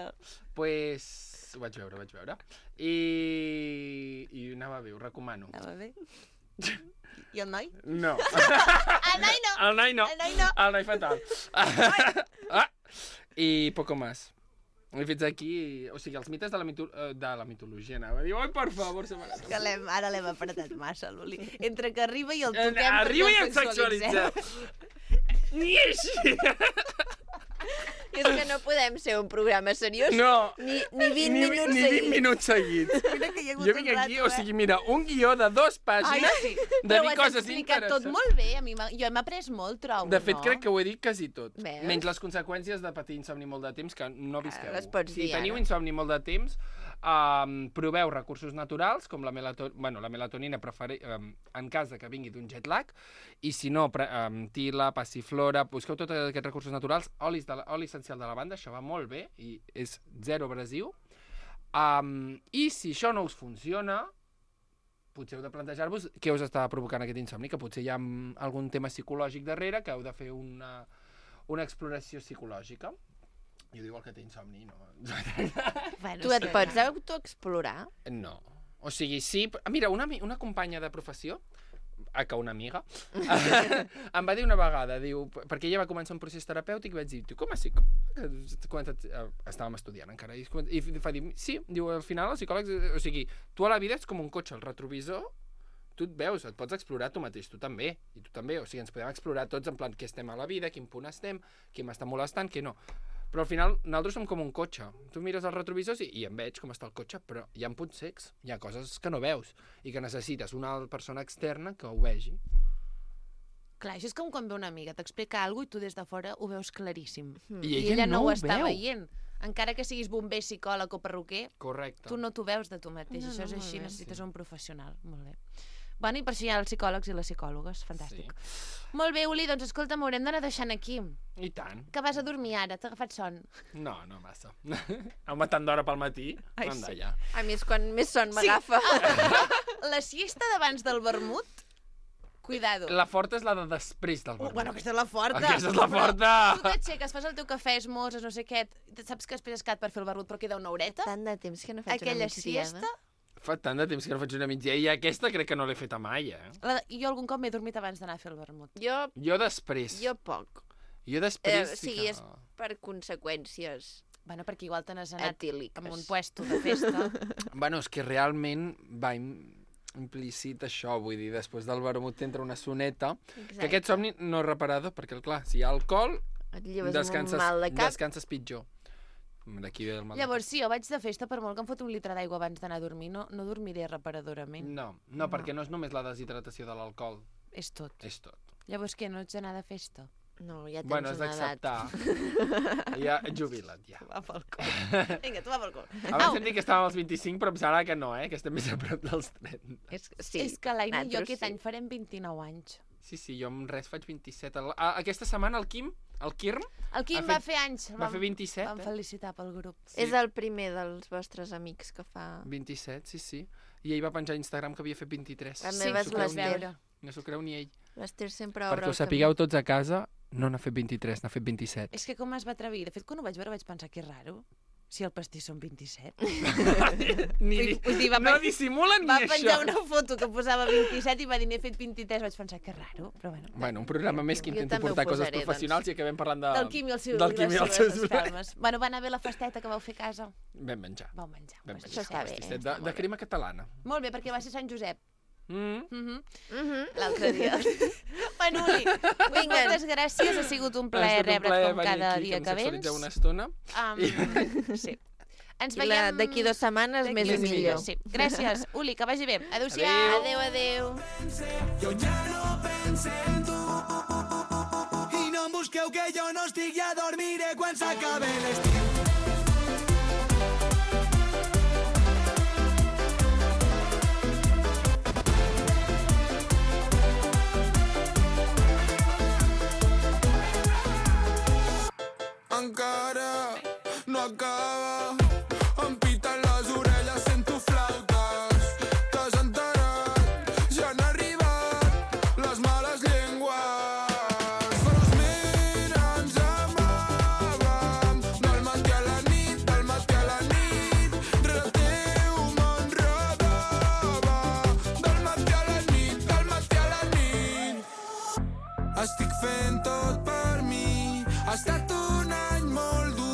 Pues ho vaig veure, ho vaig veure. I, i anava bé, ho recomano. Anava bé? I el noi? No. El noi no! El noi no. El noi no. El noi fatal. Ah, i poco más. I fins aquí, o sigui, els mites de la, mito de la mitologia, anava a dir, oi, per favor, se m'ha Que l'hem, ara l'hem apretat massa, l'Uli. Entre que arriba i el toquem, Arriba i el el sexualitzem. Ni així. I és que no podem ser un programa seriós No. ni, ni vint ni, minuts ni seguits. vint minuts seguits. Mira que hi ha hagut Jo un vinc aquí, rato, o sigui, mira, un guió de dos Ai, pàgines sí. de Però ho dir has coses explicat interessants. tot molt bé. A mi m'ha- jo hem après molt, trobo, De fet, no? crec que ho he dit quasi tot. Veus? Menys les conseqüències de patir insomni molt de temps, que no visqueu. les pots si dir teniu ara. insomni molt de temps, um, proveu recursos naturals, com la, melato bueno, la melatonina preferi um, en cas de que vingui d'un jet lag, i si no, um, tila, passiflora, busqueu tots aquests recursos naturals, olis de la, oli essencial de lavanda, això va molt bé, i és zero abrasiu. Um, I si això no us funciona, potser heu de plantejar-vos què us està provocant aquest insomni, que potser hi ha mm, algun tema psicològic darrere, que heu de fer una, una exploració psicològica. Jo diu el que té insomni, no. Bueno, Tu et sí, pots ja. autoexplorar? No. O sigui, sí... Mira, una, ami- una companya de professió, a que una amiga, em va dir una vegada, diu, perquè ella va començar un procés terapèutic i vaig dir, tu com a psicòleg, que començat, eh, estàvem estudiant encara, i, i fa dir, sí, diu, al final els psicòlegs, o sigui, tu a la vida ets com un cotxe, el retrovisor, tu et veus, et pots explorar tu mateix, tu també, i tu també, o sigui, ens podem explorar tots en plan què estem a la vida, quin punt estem, qui m'està molestant, què no. Però al final nosaltres som com un cotxe. Tu mires els retrovisors i, i em veig com està el cotxe, però hi ha punts cecs, hi ha coses que no veus i que necessites una persona externa que ho vegi. Clar, això és com quan ve una amiga, t'explica alguna cosa i tu des de fora ho veus claríssim. I I ella ella no no ho ho està veu. veient. Encara que siguis bomber, psicòleg o perruquer, Correcte. tu no t'ho veus de tu mateix. No, Això és no, així, molt bé. necessites un professional. Molt bé. Bueno, i per això hi ha els psicòlegs i les psicòlogues. Fantàstic. Sí. Molt bé, Uli, doncs escolta, m'haurem d'anar deixant aquí. I tant. Que vas a dormir ara? T'ha agafat son? No, no massa. Home, tant d'hora pel matí, Ai, anda sí. ja. A mi és quan més son m'agafa. La siesta d'abans del vermut? Cuidado. La forta és la de després del Uh, vermut. bueno, aquesta és la forta. Aquesta és la forta. Però tu t'aixeques, fas el teu cafè, esmorzes, no sé què, saps que després has quedat per fer el vermut, però queda una horeta. Tant de temps que no faig Aquella una migdiada. siesta... Fa tant de temps que no faig una migdia i aquesta crec que no l'he feta mai, eh? La... Jo algun cop m'he dormit abans d'anar a fer el vermut. Jo, Jo després. jo poc. Jo Eh, després o sí sigui, que... és per conseqüències Bueno, perquè igual te n'has anat etíliques. amb un puesto de festa. Bueno, és que realment va im- implícit això, vull dir, després del vermut t'entra una soneta, Exacte. que aquest somni no és reparador, perquè, clar, si hi ha alcohol, Et lleves descanses, amb un mal de cap. descanses pitjor. D'aquí ve el mal Llavors, sí, jo vaig de festa, per molt que em fot un litre d'aigua abans d'anar a dormir, no, no dormiré reparadorament. de cap. No, no, perquè no és només la deshidratació de l'alcohol, És tot. és tot. Llavors què, no ets d'anar de festa? No, ja tens Bueno, has una edat. d'acceptar. Ja, jubila't, ja. Va pel cul. Vinga, tu va pel cul. Abans hem dit que estàvem als vint-i-cinc, però em sembla que no, eh? Que estem més a prop dels trenta. És, sí, És que l'Aina i jo nosaltres aquest sí. any farem vint-i-nou anys. Sí, sí, jo amb res faig vint-i-set. El- a- Aquesta setmana el Quim, el Quirm, El Quim Ha va fet- fer anys. va fer vint-i-set, Vam eh? felicitar pel grup. Sí. És el primer dels vostres amics que fa... vint-i-set, sí, sí. I ell va penjar a Instagram que havia fet vint-i-tres. La Sí, meva és s'ho creu ni ell. l'Ester. No s'ho creu ni ell. L'Ester sempre obre Perquè ho el sapigueu tots a casa, no n'ha fet vint-i-tres, n'ha fet vint-i-set. És que com es va atrevir? De fet, quan ho vaig veure vaig pensar que és raro. Si el pastís són vint-i-set. Ni, Vull- vull dir, va no pen- dissimulen Va ni penjar això. una foto que posava vint-i-set i va dir n'he fet vint-i-tres. Vaig pensar que és raro, però bueno. Bueno, un programa més que Jo intento també ho portar coses posaré, doncs. professionals i acabem parlant de... Del Quim i el seu, del Quim i els seus espelmes. Bueno, va anar bé la festeta que vau fer a casa. Vam menjar. Vau menjar. Vam Pues menjar. Això està bé, Pastisset està de, molt de bé. crema catalana. Molt bé, perquè va ser Sant Josep. Mm. Mm -hmm. Mhm. L'altre dia. Bueno, Uli, Vinga. moltes gràcies. Ha sigut un Ha plaer estat un rebre't plaer com venir cada aquí, dia em que vens. sexualitzeu una estona. Um, sí. Ens I la- veiem... D'aquí dues setmanes d'aquí més i uns millor. dies, Sí. Gràcies, Uli, que vagi bé. Adéu-siau. Adéu, adéu. Jo ja no penso en tu i no em busqueu que jo no estic, ja dormiré quan s'acabe l'estiu. Encara no acaba, em piten les orelles, sento flautes. T'has enterat, ja han arribat les males llengües. Però els mira, ens amàvem del matí a la nit, del matí a la nit. Rere teu m'enredava del matí a la nit, del matí a la nit. Estic fent tot per mi, ha estat un any molt dur,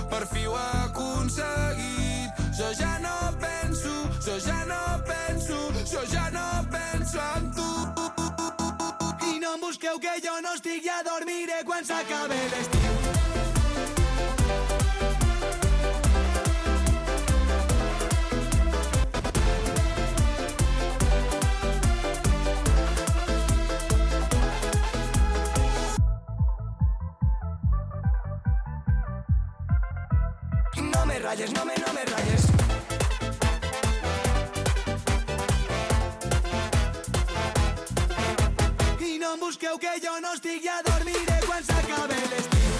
per fi ho he aconseguit. Jo ja no penso, jo ja no penso, jo ja no penso en tu. I no em busqueu que jo no estic, ja dormiré quan s'acabe l'estiu. No me rayes, no me, no me rayes. I no em busqueu que jo no estic, ja dormiré quan s'acabe l'estiu.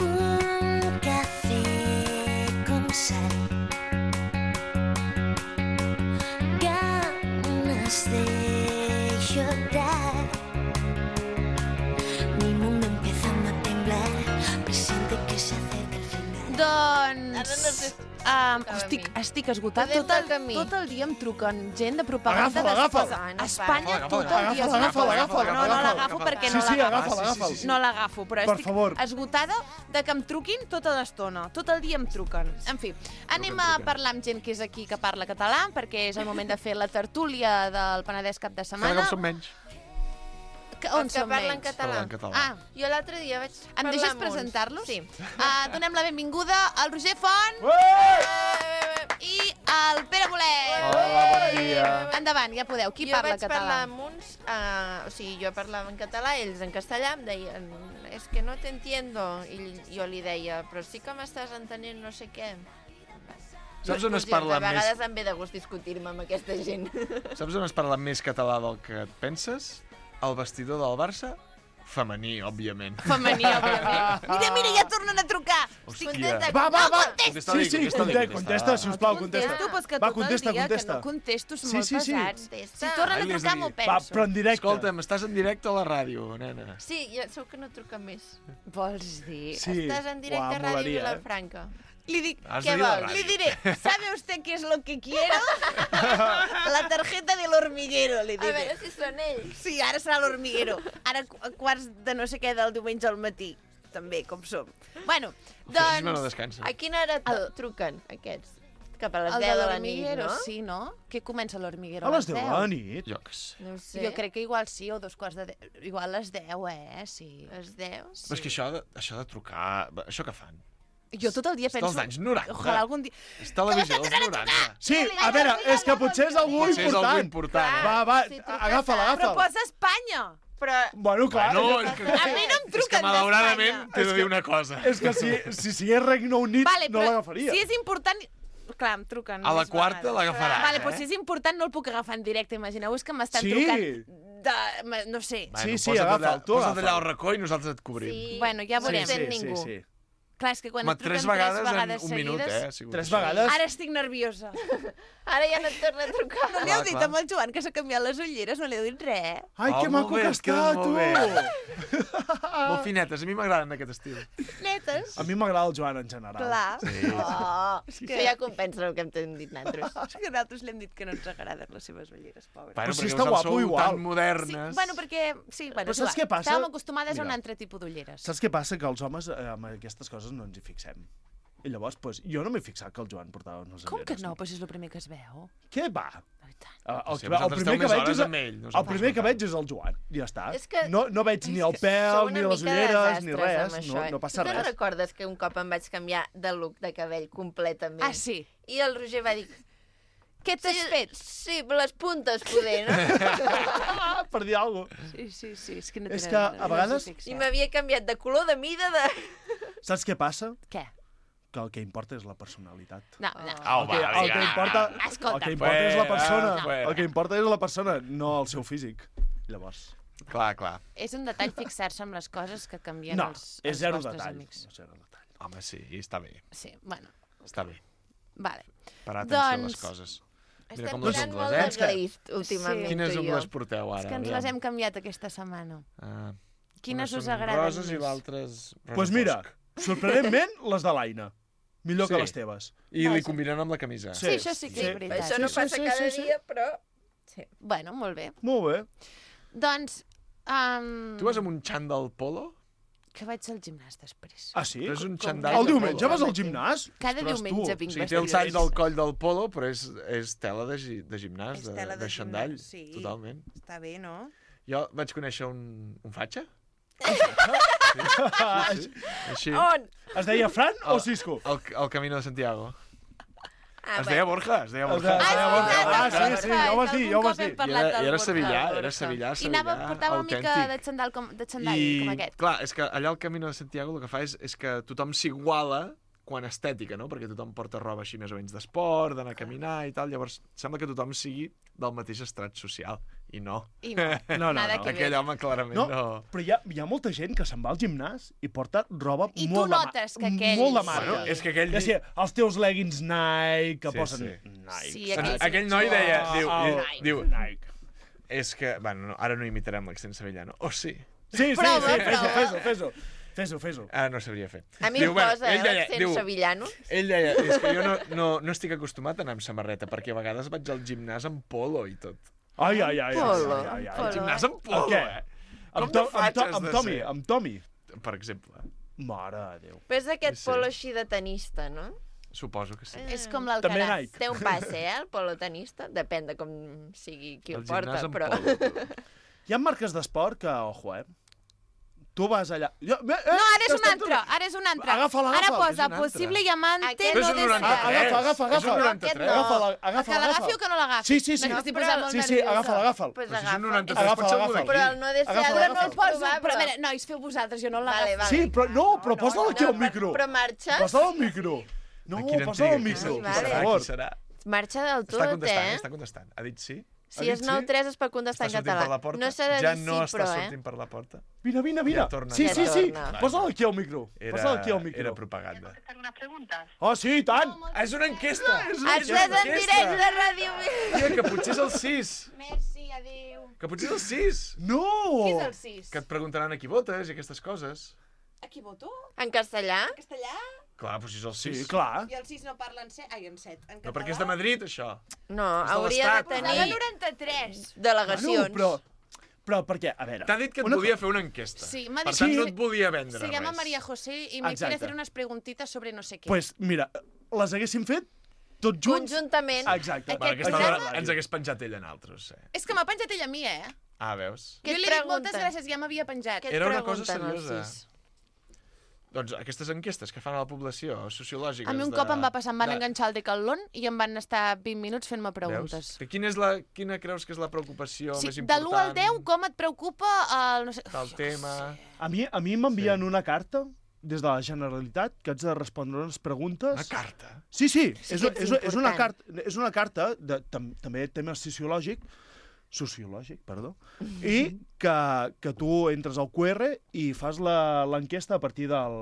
Un café con sal, ganas de llorar. Um, estic, estic esgotat. Podem Tot el, del camí. tot el dia em truquen gent de propaganda Agafa'l, agafa'l. d'Espanya. Ah, no Espanya para. tot el dia. Agafa'l, agafa'l, agafa'l, No, no agafa'l. l'agafo perquè Sí, no sí, l'agafo. agafa'l, agafa'l. No l'agafo, però Per estic favor. esgotada de que em truquin tota l'estona. Tot el dia em truquen. En fi, anem a parlar amb gent que és aquí que parla català, perquè és el moment de fer la tertúlia del Penedès cap de Cada setmana. cop som menys. Que, on Els que som parlen menys? català. Parlen català. Ah, Jo l'altre dia vaig em parlar deixes amb uns. presentar-los? Sí. Uh, donem la benvinguda al Roger Font i al Pere Bolet. Hola, bon dia. Endavant, ja podeu. Qui jo parla vaig català? parlar amb uns, uh, o sigui, jo parlava en català, ells en castellà, em deien, és que no t'entiendo, i jo li deia, però sí que m'estàs entenent no sé què. Saps on es Discussions, parla A vegades més... em ve de gust discutir-me amb aquesta gent. Saps on es parla més català del que et penses? El vestidor del Barça? Femení, òbviament. Femení, òbviament. Mira, mira, ja tornen a trucar. Hòstia. Contesta, Va, va, va! Contesta. Sí, sí, contesta, contesta, Contesto, sisplau, contesta. però és que Va, tot contesta, el dia contesta. que no contesto és Sí, molt sí, sí. pesat. Si Contesta. tornen Ai, a li has trucar, de m'ho dir. penso. Va, però en directe. Escolta'm, estàs en directe a la ràdio, nena. Sí, ja segur que no truca més. Vols dir? Sí. Estàs en directe Uau, a Ràdio molaria, eh? Vilafranca. Li dic, Has ¿Qué de dir la vols? ràdio. le diré, ¿sabe usted qué es lo que quiero? La tarjeta del hormiguero, li A diré. veure si són ells. Sí, ara serà l'hormiguero. Ara qu- quarts de no sé què del diumenge al matí. També, com som. Bueno, Doncs... no doncs... descansa. A quina hora El- el... truquen, aquests? Cap a les El deu de de la nit, l'hormiguero, no? sí, no? Què comença l'hormiguero? A les deu de la nit? Jo que sé. No ho sé. Jo crec que igual sí, o dos quarts de deu. Igual les deu, eh? Sí. Les deu? Sí. Però és que això de, això de trucar... Això que fan? Jo tot el dia És penso... dels anys noranta. Ojalà algun dia... És televisió dels noranta. Sí, a veure, és que potser és algú Potser és algú important. important. Va, va, Si truques agafa'l, a- Però agafa'l. posa Espanya! Però... Bueno, clar. No, és és que, A mi no em és que truquen malauradament d'Espanya. t'he de dir una cosa. És que si, si sigués Regne Unit Vale, no però l'agafaria. si és important... Clar, em truquen A la més quarta vegades. l'agafaràs, Vale, eh? però si és important no el puc agafar en directe. Imagineu-vos que m'estan Sí. trucant de... No sé. Sí, sí, posa't agafa'l, allà, tu Posa't agafa'l. allà al racó i nosaltres et cobrim. Sí. Bueno, ja No veurem. sent sí, ningú. sí. Clar, és que quan Home, et truquen tres vegades, tres vegades en un minut, seguides... eh? ha sigut Tres això. vegades. Ara estic nerviosa. Ara ja no et torna a trucar. No li heu Clar, dit clar. amb el Joan que s'ha canviat les ulleres, no li heu dit res. Ai, Oh, que molt maco bé, que es queden està, molt tu! bé. Molt finetes, a mi m'agraden d'aquest estil. Netes. A mi m'agrada el Joan en general. Clar. Sí. Oh, És que... que- Això ja compensa el que hem dit nosaltres. És que nosaltres li hem dit que no ens agraden les seves ulleres, pobres. Bueno, Però si perquè està vosaltres guapo sou igual. tan Sí, modernes. bueno, perquè... Sí, bueno, Però és saps igual. què passa? Estàvem acostumades a un Mira. altre tipus d'ulleres. Saps què passa? Que els homes eh, amb aquestes coses no ens hi fixem. I llavors, pues, jo no m'he fixat que el Joan portava unes Com que ulleres. no? Però si és el primer que es veu. Què va? I tant. El, el, Sí, el, vosaltres primer esteu que més veig hores és, amb ell, el nosaltres primer no que tant. veig és el Joan. I ja està. És que- No, no veig ni el Sou pèl, una ni les mica de ulleres, ni desastres res. amb No, això, eh? no passa Tu te'n res. recordes que un cop em vaig canviar de look de cabell completament? Ah, sí? I el Roger va dir... Què t'has Sí, fet? Sí, les puntes, poder, no? Ah, per dir alguna cosa. Sí, sí, sí. És que, no És tenen- que, no a vegades- us hi fixeu. I m'havia canviat de color, de mida, de... Saps què passa? Què? Que el que importa és la personalitat. No, no. Au, El que, va, el que vinga. importa, Escolta. el que importa és la persona. Fuera. El que importa és la persona, no el seu físic. Llavors... Clar, clar. És un detall fixar-se amb les coses que canvien No, els, és els zero vostres detall. amics. És zero detall. Home, sí, està bé. Sí, bueno, Està bé. vale. Parar atenció a les Doncs- coses. Mira Estem com les tirant ungles, molt eh? de glist, últimament, Quines tu i jo. ungles porteu ara? És que ens Aviam. les hem canviat aquesta setmana. Ah, Quines unes us són agraden roses i més? l'altres rosa Doncs pues mira, fosc. sorprenentment, les de l'Aina. Millor que Sí. les teves. I li combinen amb la camisa. Sí, això sí que és veritat. Això no Sí, sí, passa sí, cada sí, sí. dia, però... Sí. Bueno, molt bé. Molt bé. Doncs... Um, Tu vas amb un xandall polo? Que vaig al gimnàs després. Ah, sí? Però és un Com- xandall El de diumenge polo. vas al gimnàs? Cada Ostres, diumenge tu. vinc O sigui, té el vestida. tall del coll del polo, però és, és tela de, gi, de gimnàs, És de, tela de, de xandall. gimnàs, sí. Totalment. Està bé, no? Jo vaig conèixer un, un fatxa. Ah, Sí, així. On? Es deia Fran o El- Cisco? El, el Camino de Santiago. Ah, Es deia Borja, es deia Es Borja. deia- es deia Borja. Ah, Ah, sí, sí, sí, ja ho vas dir, ja ho vas dir. I era, i era sevillà, era sevillà, I anava, sevillà, portava una mica autèntic. de xandall com, de xandall, I, com aquest. clar, és que allà al Camino de Santiago el que fa és, és que tothom s'iguala quan estètica, no? Perquè tothom porta roba així més o menys d'esport, d'anar a caminar i tal, llavors sembla que tothom sigui del mateix estrat social, i no. I no, No, no, nada no. que Aquell ver. home clarament No, no. però hi ha, hi ha molta gent que se'n va al gimnàs i porta roba I tu molt de, ma- notes que aquells- molt de marca. Bueno, és que aquell... Que sí, els teus leggings Nike, que Sí, posen sí. Nike. Sí, aquell, aquells- aquell noi deia, diu, Oh, diu, Nike. diu, Nike. és que, bueno, no, ara no imitarem l'accent sevillano. Oh, sí. Sí, sí, Prova, sí, fes-ho, prova. fes-ho, fes-ho. Fes-ho, fes-ho. Ah, no sabria fer. A mi em posa, eh, l'accent sevillano. Ell deia, és que jo no, no, no estic acostumat a anar amb samarreta, perquè a vegades vaig al gimnàs amb polo i tot. Ai, ai, ai. Polo, ai, ai, ai. Al gimnàs amb polo, Què? eh? Amb, Com to, de amb, faig to, has amb de Tommy, ser? amb Tommy. Per exemple. Mare de Déu. Però és aquest Sí. polo així de tenista, no? Suposo que sí. És com També l'Alcaraz. Nike. Té un passe, eh, el polo tenista. Depèn de com sigui qui el El porta, gimnàs amb però... polo, tu. Hi ha marques d'esport que, ojo, eh? Tu vas allà... Jo, eh, No, ara és un estem altre, ara és un altre. Agafa'l, Ara agafa'l, posa és un altre. possible diamante Aquest Però és no un deseado. noranta-tres. Agafa, agafa, És un agafa. noranta-tres. Agafa-la, A agafa-la, que l'agafi o agafa. que no l'agafi? Sí, sí, sí. No, estic però- posant molt Sí, sí, nerviosa. agafa'l, agafa'l. Pues Però si és un agafa. noranta-tres, Agafa, pot ser algú agafa. d'aquí. Però el no deseado Agafa, no agafa. el El poso, probable. però a veure, nois, feu vosaltres, jo no Vale, l'agafo. vale. Sí, però no, però posa'l aquí al No, micro. Però marxes? Posa'l al micro. No, Quina posa'l al intriga, micro, qui Vale. per serà, favor. qui serà? Marxa del Està tot, contestant, eh? està contestant. Ha dit sí? Si Ha és dit sí? nou tres es pot contestar Està en sortint per la català. porta? No s'ha de ja dir no sí, està però, eh? sortint per la porta? Vine, vine, vine. Ja torna. Sí, Ja sí, sí. torna. Posa'l aquí al micro. Era, Posa'l aquí al micro. era propaganda. Oh, sí, i tant. Ah, és una enquesta! Estàs en directe de Ràdio Vila. Tia, que potser és el sis. Merci, adéu. Que potser és el sis. No! Qui és el sis? Que et preguntaran a qui votes i aquestes coses. A qui voto? En castellà? En castellà? Clar, doncs si és el Sí, sis. clar. I el sis no parla en set? Ai, en set. En No, perquè és de Madrid, això. No, És de hauria de l'Estat. Posava tenir noranta-tres. delegacions. Bueno, però, però perquè, a veure... T'ha dit que et una volia fer una enquesta. Sí, m'ha Per dit tant, que- no et volia vendre Se llama res. María José y me Exacte. quiere hacer unas preguntitas sobre no sé qué. Pues mira, les haguéssim fet tots junts. Conjuntament. Exacte. Aquest Va, aquesta programa- hora ens hagués penjat ell en altres. Eh? És que m'ha penjat ella a mi, eh? Ah, veus? Què jo et li he dit moltes pregunten? gràcies, ja m'havia penjat. Què et Era una cosa pregunten, els seriosa. sis? Doncs aquestes enquestes que fan a la població, sociològiques... A mi un de- cop em va passar, em van de- enganxar al decathlon i em van estar vint minuts fent-me preguntes. Veus? Que quina, és la, quina creus que és la preocupació Sí, més de important? l'u al deu, com et preocupa el... No sé... Del tema... A mi, a mi m'envien una carta des de la Generalitat que haig de respondre unes preguntes... Una carta? Sí, sí, Sí és, que ets és, és, una important. carta, és una carta de, tam, també tema sociològic, sociològic, perdó, i que, que tu entres al Q R i fas la- l'enquesta a partir del...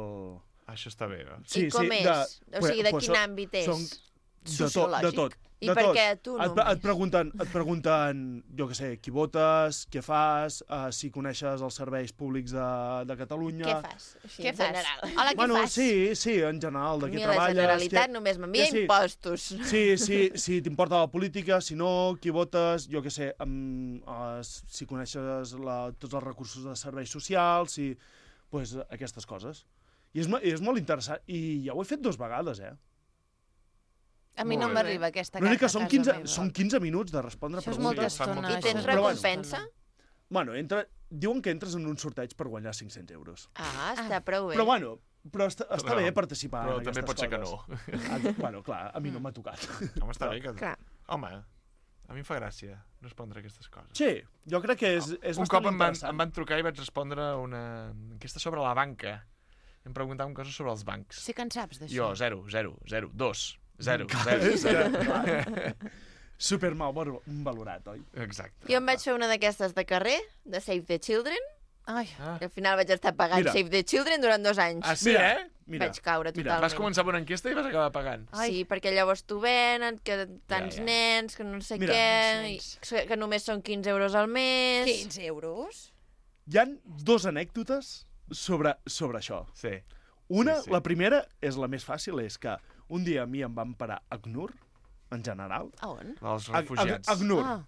Això està bé, eh? I com és? O sigui, de pues quin són- àmbit és? Són de tot, de tot. I de per tot. què tu et, només? et, pregunten, et pregunten, jo què sé, qui votes, què fas, uh, si coneixes els serveis públics de, de Catalunya... Què fas? Així, Què en fas? general. Hola, què bueno, fas? sí, sí, en general, de A què mi la treballes... Generalitat què- només m'envia que sí. impostos. Sí, sí, sí, t'importa la política, si no, qui votes, jo què sé, amb, uh, si coneixes la, tots els recursos de serveis socials, si, pues, aquestes coses. I és, mo- és molt interessant, i ja ho he fet dues vegades, eh? A mi no Molt bé. m'arriba aquesta L'únic carta que són a casa quinze, meva. són quinze minuts de respondre Això és preguntes. molta Fan estona. molta I tens estona. Però bueno. recompensa? Bueno, entra, diuen que entres en un sorteig per guanyar cinc-cents euros. Ah, està prou bé. Però bueno, però està, està Però- bé participar però en també aquestes pot ser que coses. Ah, bueno, clar, a mi no m'ha tocat. Home, està bé que... Clar. Home, a mi em fa gràcia respondre aquestes coses. Sí, jo crec que és, és Un bastant cop em van, interessant. em van trucar i vaig respondre una enquesta sobre la banca. Em preguntaven coses sobre els bancs. Sí que en saps d'això. Jo, zero, zero, zero, dos, zero, Clar, zero, és que, zero. clar, super mal val- valorat, oi? Exacte. Jo em vaig fer una d'aquestes de carrer, de Save the Children, Ai, Ah. i al final vaig estar pagant Mira. Save the Children durant dos anys. Ah, sí, Mira, eh? Mira, Vaig caure mira, totalment. Vas començar amb una enquesta i vas acabar pagant. Sí, perquè llavors t'ho venen, que tants Ja, ja. nens, que no sé Mira. què, i que només són quinze euros al mes... quinze euros? hi han dos anècdotes sobre, sobre això. Sí. Una, Sí, sí. la primera, és la més fàcil, és que un dia a mi em van parar a Acnur, en general, A on? Els a, a, refugiats. a Acnur, Ah.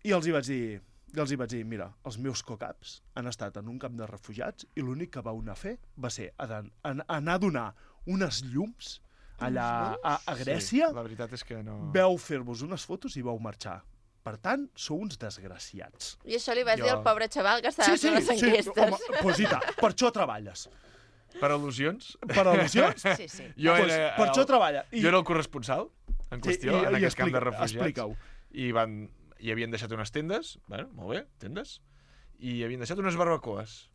i els hi vaig dir, i els hi vaig dir, mira, els meus cocaps han estat en un camp de refugiats i l'únic que vau anar a fer va ser anar a, anar a donar unes llums allà a, a Grècia, Sí, la veritat és que no... veu fer-vos unes fotos i vau marxar. Per tant, sou uns desgraciats. I això li vas Jo- dir al pobre xaval que estava fent les enquestes. home, pues i tant, per això treballes. Per al·lusions? Per al·lusions? Sí, sí. Jo Pues, era, per el- això treballa. I- Jo era el corresponsal en qüestió, i- en i aquest camp de explica- refugiats. explica-ho. I van, hi havien deixat unes tendes, bueno, molt bé, tendes, i havien deixat unes barbacoes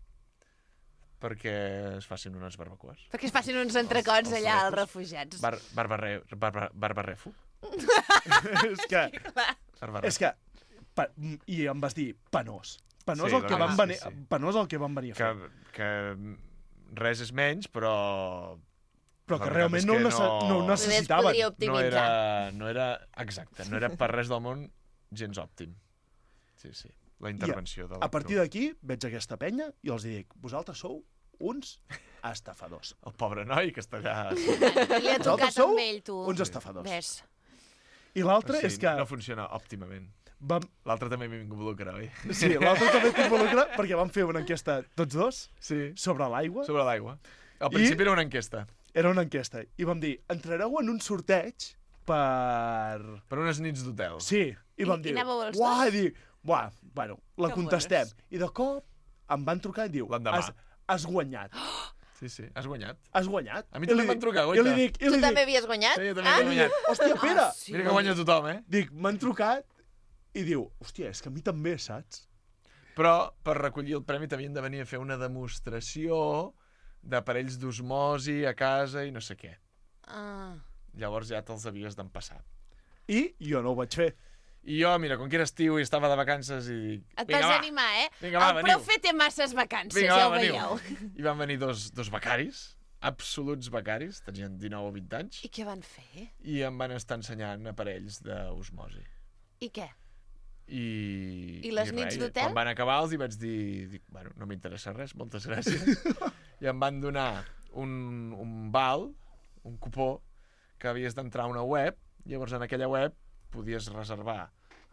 perquè es facin unes barbacoes. Perquè es facin uns entrecots Els- els allà als refus. refugiats. Bar, barbarre, barba, barbarrefo. és que, Barbarrefo. és que pa, i em vas dir penós. Penós Sí, el que la van veritat, venir, sí, sí. penós el que van venir a fer. que, que res és menys, però... Però la que veritat realment és no, ho que nece no ho Només necessitaven. podria No optimitzar. era, no era... Exacte, no era per res del món gens òptim. Sí, sí, la intervenció de A partir d'aquí veig aquesta penya i els dic, vosaltres sou uns estafadors. El pobre noi que està allà... Li ha tocat Vosaltres sou amb ell, tu. uns estafadors. Ves. I l'altre sí, és que... no funciona òptimament. Vam... L'altre també m'involucra, oi? Sí, l'altre també t'involucra perquè vam fer una enquesta tots dos sí. sobre l'aigua. Sobre l'aigua. Al principi I... era una enquesta. Era una enquesta. I vam dir, entrareu en un sorteig per... Per unes nits d'hotel. Sí. I vam I, dir, i anàveu els uah, dos? i dir, buah, bueno, la Que contestem. bones. I de cop em van trucar i diu, L'endemà. has, has guanyat. Sí, sí, has guanyat. Has guanyat. A mi també I li em van dic- trucar, I goita. li dic, i Tu li també dic, havies guanyat? Sí, jo també Ah, he guanyat. hòstia, Pere. Ah, sí. Mira que guanya tothom, eh? Dic, m'han trucat i diu, hòstia, és que a mi també, saps? Però per recollir el premi t'havien de venir a fer una demostració d'aparells d'osmosi a casa i no sé què. Ah. Llavors ja te'ls havies d'empassar. I jo no ho vaig fer. I jo, mira, com que era estiu i estava de vacances i dic... Et vinga, vas va, animar, eh? Vinga, va, el veniu. profe té masses vacances, Vinga, ja va, ho veniu. veieu. I van venir dos, dos becaris, absoluts becaris, tenien dinou o vint anys, I què van fer? i em van estar ensenyant aparells d'osmosi. I què? I, I les i nits res, d'hotel? Quan van acabar els hi vaig dir, dic, bueno, no m'interessa res, moltes gràcies. I em van donar un, un val, un cupó, que havies d'entrar a una web, llavors en aquella web podies reservar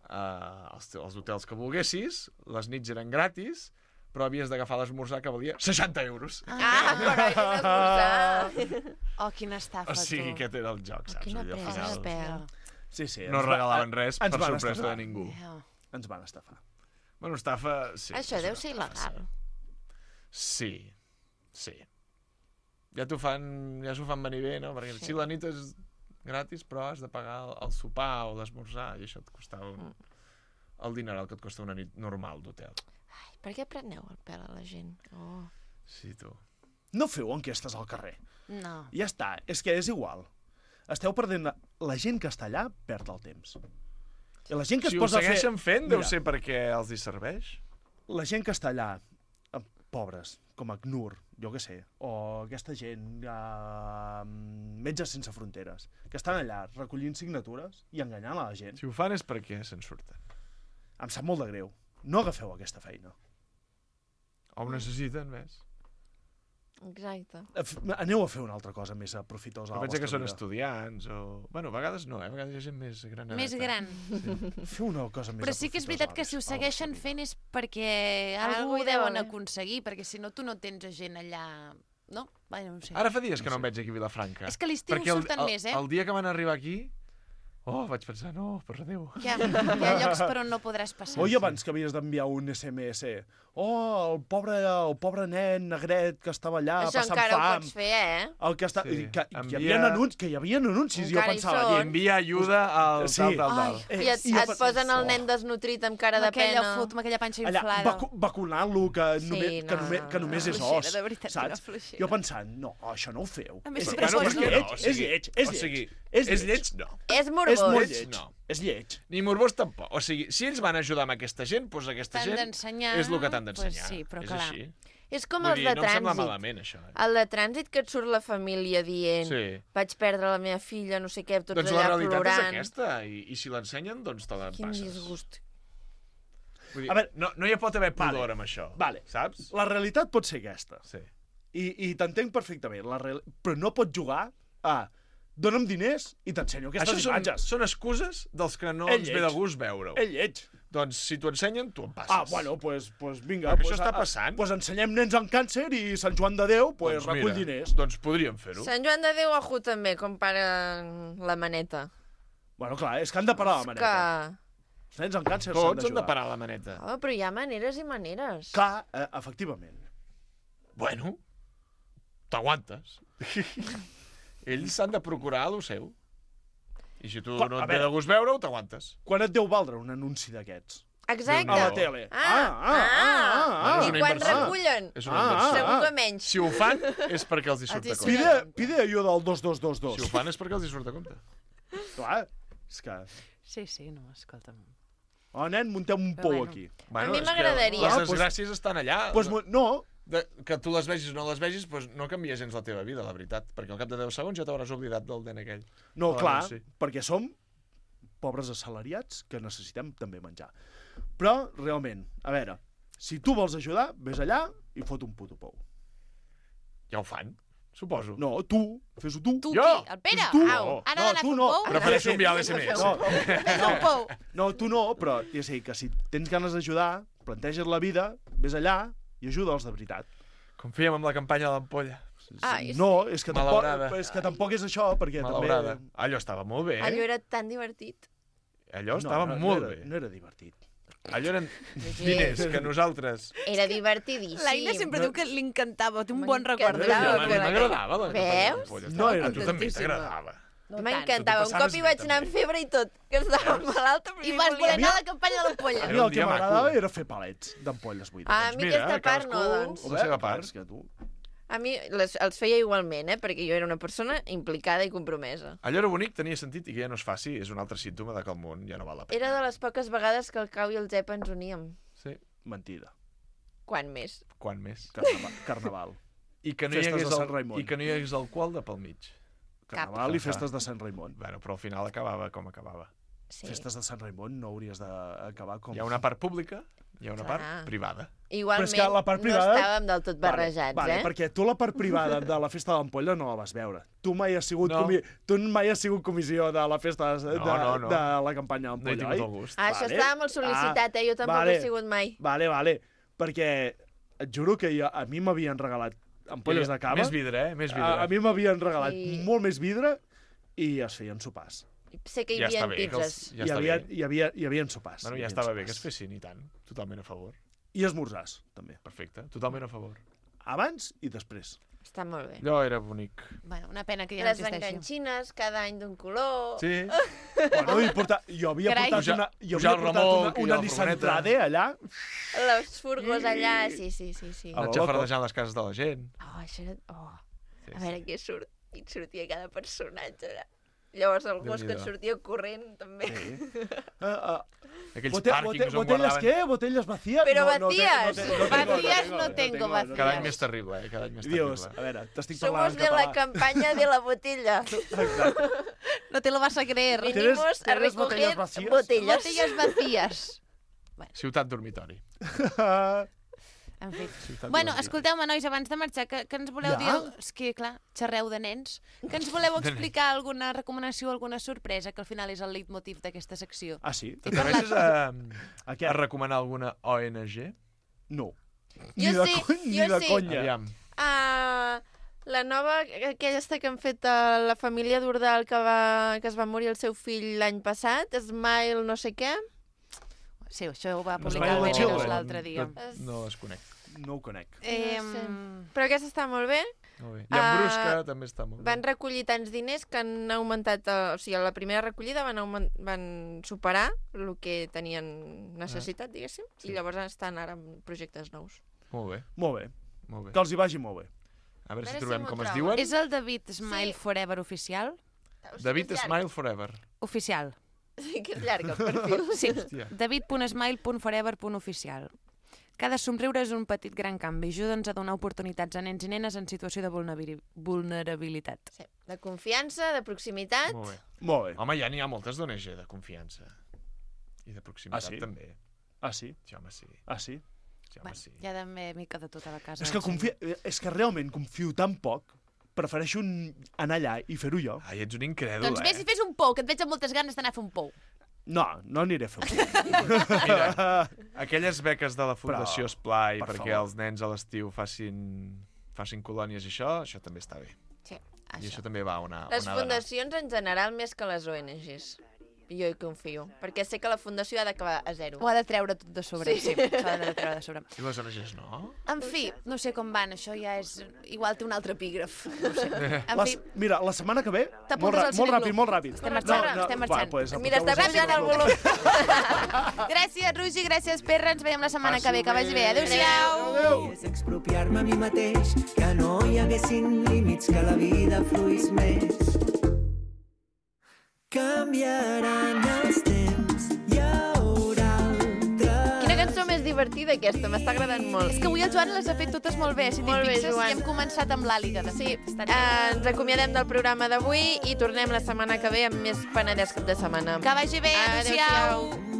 uh, els, els hotels que volguessis, les nits eren gratis, però havies d'agafar l'esmorzar que valia seixanta euros. Ah, però és esmorzar. Oh, quina estafa, O sigui, tu. aquest era el joc, saps? Quina Allò, al presa, final pèl. Sí, sí. no ens va- regalaven res ens per van sorpresa estafar. de ningú. Yeah. Ens van estafar. Bueno, estafa... Sí, Això és deu una ser estafa, il·legal. Sí, sí. Ja t'ho fan, ja s'ho fan venir bé, no? Perquè sí. Si la nit és gratis, però has de pagar el, el sopar o l'esmorzar, i això et costava un, el dineral que et costa una nit normal d'hotel. Ai, per què preneu el pèl a la gent? Oh. Sí, tu. No feu enquestes al carrer. No. Ja està, és que és igual. Esteu perdent... La, la gent que està allà perd el temps. I la gent que Si es ho posa a fer... segueixen fent, deu Mira, ser perquè els hi serveix. La gent que està allà, eh, pobres, com ACNUR, jo què sé, o aquesta gent, eh, Metges Sense Fronteres, que estan allà recollint signatures i enganyant a la gent. Si ho fan és perquè se'n surten. Em sap molt de greu. No agafeu aquesta feina. O ho necessiten, ves? Exacte. F- Aneu a fer una altra cosa més aprofitosa a Però la pensa que vostra són vida. estudiants o... Bueno, a vegades no, eh? A vegades hi ha gent més gran. Més gran. Sí. Feu una cosa més Però sí que és veritat que si ho segueixen fent és perquè Algú algú hi ho deu deuen haver. aconseguir, perquè si no tu no tens gent allà... No? Bueno, no sé. Ara fa dies que no em veig aquí a Vilafranca. És que a l'estiu Perquè el- surten el, més, eh? El dia que van arribar aquí... Oh, vaig pensar, no, per Déu. Hi ha, hi ha llocs per on no podràs passar. Oi abans que havies d'enviar un S M S? Oh, el pobre, el pobre nen negret que estava allà Això passant encara ho fam. pots fer, eh? El que, està, Sí. sí. que, Envia- que, hi havia anuncis, que hi havia anuncis, i jo Encara hi pensava... són. "Llet". Envia ajuda al Sí. tal, tal, tal. Ai, I et, i jo et pe- posen el Oh. nen desnutrit amb cara Amb de aquella pena. foto, amb aquella panxa Allà, inflada. vacu vacunant-lo, que, Sí, només, que, no, només, que no, només no. és Fluixera, os, de veritat, quina saps? fluixera. Jo pensant, no, això no ho feu. A més, és, si és, te és, posen- lleig, no, o és sigui, lleig, és o lleig. sigui, és és lleig. lleig, no. És És morbós. molt Lleig, lleig. no. És lleig. Ni morbós tampoc. O sigui, si ells van ajudar amb aquesta gent, doncs aquesta T'han gent d'ensenyar, és el que t'han d'ensenyar. pues sí, però és clar. així. És com Vull els dir, de no em sembla trànsit. malament, això. Eh? El de trànsit que et surt la família dient Sí. vaig perdre la meva filla, no sé què, tots Doncs la allà realitat plorant. és aquesta, i, i si l'ensenyen, doncs te la Quin passes. disgust. Vull dir, A veure, no, no hi pot haver pudor vale, amb això, vale. saps? La realitat pot ser aquesta. Sí. I, i t'entenc perfectament, la real... però no pots jugar a dona'm diners i t'ensenyo aquestes Això són, imatges. són excuses dels que no És ens ve lleig. de gust veure-ho. És lleig. Doncs si t'ho ensenyen, tu em passes. Ah, bueno, pues, pues vinga. Perquè pues, això està a- passant. Pues ensenyem nens amb càncer i Sant Joan de Déu pues, doncs recull mira, diners. Doncs podríem fer-ho. Sant Joan de Déu, ojo, també, com para la maneta. Bueno, clar, és que han de parar la És maneta. que... Els nens amb càncer s'han Tots han d'ajudar. de parar la maneta. Oh, però hi ha maneres i maneres. Clar, eh, efectivament. Bueno, t'aguantes. Ells s'han de procurar el seu. I si tu Quan- no a et ve veure. de gust veure-ho, t'aguantes. Quan et deu valdre un anunci d'aquests? Exacte. A la tele. Ah, ah, ah, I és una quan inversió. recullen? És una Ah, inversió. Segur que menys. Si ho fan, és perquè els hi surt a Els hi compte. Pide, pide allò del dos dos dos dos. Si ho fan és perquè els hi surt a compte. Clar, és que... Sí, sí, no, escolta'm. Oh, nen, muntem un Però pou bueno. aquí. Bueno, mi és que m'agradaria. Les Ah, pues- desgràcies estan allà. Pues, mo- no, De, que tu les vegis o no les vegis, pues no canvia gens la teva vida, la veritat. Perquè al cap de deu segons ja t'hauràs oblidat del nen aquell. no, Oh, clar, sí. perquè som pobres assalariats que necessitem també menjar. Però, realment, a veure, si tu vols ajudar, vés allà i fot un puto pou. Ja ho fan, suposo. No, tu, fes-ho tu. Tu Jo? qui? El Pere? Tu? Au, No. ara No, d'anar a tu fer un no. pou? Prefereixo enviar l'S M S. No, Fes un pou. no, tu no, però ja sé que si tens ganes d'ajudar, planteges la vida, vés allà i ajuda'ls de veritat. Confiem en la campanya de l'ampolla. Ai, No, és que, tampoc, Malaurada. és que tampoc és això, perquè Malaurada. també... Allò estava molt bé, allò eh? era tan divertit. Allò estava no, molt no era, bé. No era divertit. Allò eren diners que nosaltres... Era divertidíssim. L'Aina sempre diu que li encantava, té un bon M'encantava. record. Claro, A mi m'agradava la campanya de Veus? l'ampolla. No era A tu també divertidíssima. t'agradava. No M'encantava. Un Tu t'ho cop hi passaves vaig bé, anar amb també. febre i tot, que estava malalta. però I jo vas volia voler anar anar. a la campanya de l'ampolla. A mi Era un el que dia maco. m'agradava era fer palets d'ampolles buides. Ah, a mi mira, aquesta part no, cadascú doncs. la seva part. És que tu... A mi les, els feia igualment, eh? Perquè jo era una persona implicada i compromesa. Allò era bonic, tenia sentit, i que ja no es faci és un altre símptoma de que el món ja no val la pena. Era de les poques vegades que el Cau i el Zep ens uníem. Sí. Mentida. Quan més? Quan més? Carnaval. Carnaval. I que no hi Festes hagués, de Sant el, Raimon. I que no hi hagués alcohol de pel mig. Carnaval i festes de Sant Raimon. Bueno, però al final acabava com acabava. Sí. Festes de Sant Raimon no hauries d'acabar com... Hi ha una part pública, hi ha una Clar. part privada. Igualment, Però és que la part privada... no estàvem del tot barrejats, vale, eh? Vale, perquè tu la part privada de la festa de l'ampolla no la vas veure. Tu mai has sigut, No. comi... tu mai has sigut comissió de la festa de, No, de, no, no. de la campanya No he d'ampolla, tingut oi? el gust. Ah, això Vale. estava molt sol·licitat, eh? Jo tampoc vale. he sigut mai. Vale, vale. Perquè et juro que jo, a mi m'havien regalat ampolles de cava. Més vidre, eh? Més vidre. A, a mi m'havien regalat Sí. molt més vidre i es feien sopars. Sé que hi Ja havia està bé, que els- pizzas. Ja hi, està havia, bé. hi, havia, hi havia sopars. Bueno, hi ja havia estava bé que es sopars. fessin, i tant. Totalment a favor. I esmorzars, també. Perfecte, totalment a favor. Abans i després. Està molt bé. Allò era bonic. Bueno, una pena que ja Les no existeixi. enganxines, cada any d'un color. Sí. Bueno, i portar, jo havia Carai. portat una, Pujar- jo pujar havia el portat remolc una, i una la Nissan furgoneta. Trade allà. Les furgos allà, sí, sí, sí. sí. A Anar lo loco. xafardejant les cases de la gent. Oh, això era... Oh. Sí, A veure què surt. I et sortia cada personatge allà. Llavors el gos que et Déu-n'hi-do. sortia corrent, també. Sí. Uh, uh, Aquells bote, pàrquings bote, on botellas guardaven... què? ¿Botellas vacías? Però no, no, te- vacías. no, te- no, tengo, Vacías no, no tengo, tengo, no vacías. Cada any més terrible, eh? Cada any més Dios, terrible. a veure, t'estic Somos parlant en de la català. campaña de la botella. Exacte. No te lo vas a creer. ¿Tienes- Venimos a tienes recoger botellas vacías? botellas. Botellas vacías. Ciutat dormitori. En fi. Ciutat Bueno, dormitori. escolteu-me, nois, abans de marxar, que, que ens voleu Ja? dir... És que, clar, xerreu de nens. Que ens voleu explicar alguna recomanació, alguna sorpresa, que al final és el leitmotiv d'aquesta secció. Ah, sí? T'atreveixes a, A què? a recomanar alguna O N G? No. Jo Ni de, sí, co- ni jo de sí. conya. Aviam. Ah, la nova, aquella que han fet a la família d'Urdal que, va, que es va morir el seu fill l'any passat, Smile no sé què. Sí, això ho va Smile publicar el the Veneros Children. l'altre dia. No, no es conec. No ho conec. Eh, No sé. Però aquesta està molt bé. Molt bé. I en Ah, Brusca també està molt bé. Van recollir tants diners que han augmentat... eh, O sigui, a la primera recollida van, augment, van superar el que tenien necessitat, diguéssim, Sí. i llavors estan ara en projectes nous. Molt bé, Molt bé. molt bé. Que els hi vagi molt bé. A veure A si veure si trobem m'ho com es trobo. diuen. és el David Smile Sí. Forever oficial? David És llarg. Smile Forever. Oficial. Sí, que és llarg el perfil. Sí, Hòstia. david punt smile punt forever punt oficial. Cada somriure és un petit gran canvi. Ajuda'ns a donar oportunitats a nens i nenes en situació de vulnerabil- vulnerabilitat. Sí. De confiança, de proximitat. Molt bé. Molt bé. Home, ja n'hi ha moltes d'O N G de confiança. I de proximitat Ah, sí? també. Ah, sí? Sí, home, sí. Ah, sí? Sí, home, Bueno, sí. ja també mica de tota la casa. És que, confia... és que realment confio tan poc, prefereixo un- anar allà i fer-ho jo. Ai, ets un incrèdul, Doncs vés eh? i fes un pou, que et veig amb moltes ganes d'anar a fer un pou. No, no aniré a fer Mira, aquelles beques de la Fundació Però, Esplai per perquè favor. els nens a l'estiu facin, facin colònies i això, això també està bé. Sí. I això també va on ha, Les on ha d'anar. fundacions en general més que les O N Gs. Jo hi confio, perquè sé que la fundació ha d'acabar a zero. Ho ha de treure tot de sobre. Sí. Sí, s'ha de treure de sobre. I les O N Gs no? En fi, no sé com van, això ja és... Igual té un altre epígraf. No sé. En Les, fi, mira, la setmana que ve, molt, T'apuntes ra al molt cineclub. ràpid, molt ràpid. Estem marxant, estem marxant. Va, pues, Mira, està apunteu-vos al canviant el cineclub. volum. gràcies, Roger, gràcies, Perra. Ens veiem la setmana que ve. Que vagi bé. Adéu-siau. Adéu. És expropiar-me a mi mateix, que no hi haguessin límits, que la vida fluís més. Canviaran els temps, hi haurà altra... Quina cançó més divertida aquesta, m'està agradant molt. És que avui el Joan les ha fet totes molt bé. Si t'hi Molt bé, fixes, Joan. i hem començat amb l'Àliga. De Sí, fet. Està eh, ens acomiadem del programa d'avui i tornem la setmana que ve amb més Penedès cap de setmana. Que vagi bé. Adéu-siau. Adéu-siau.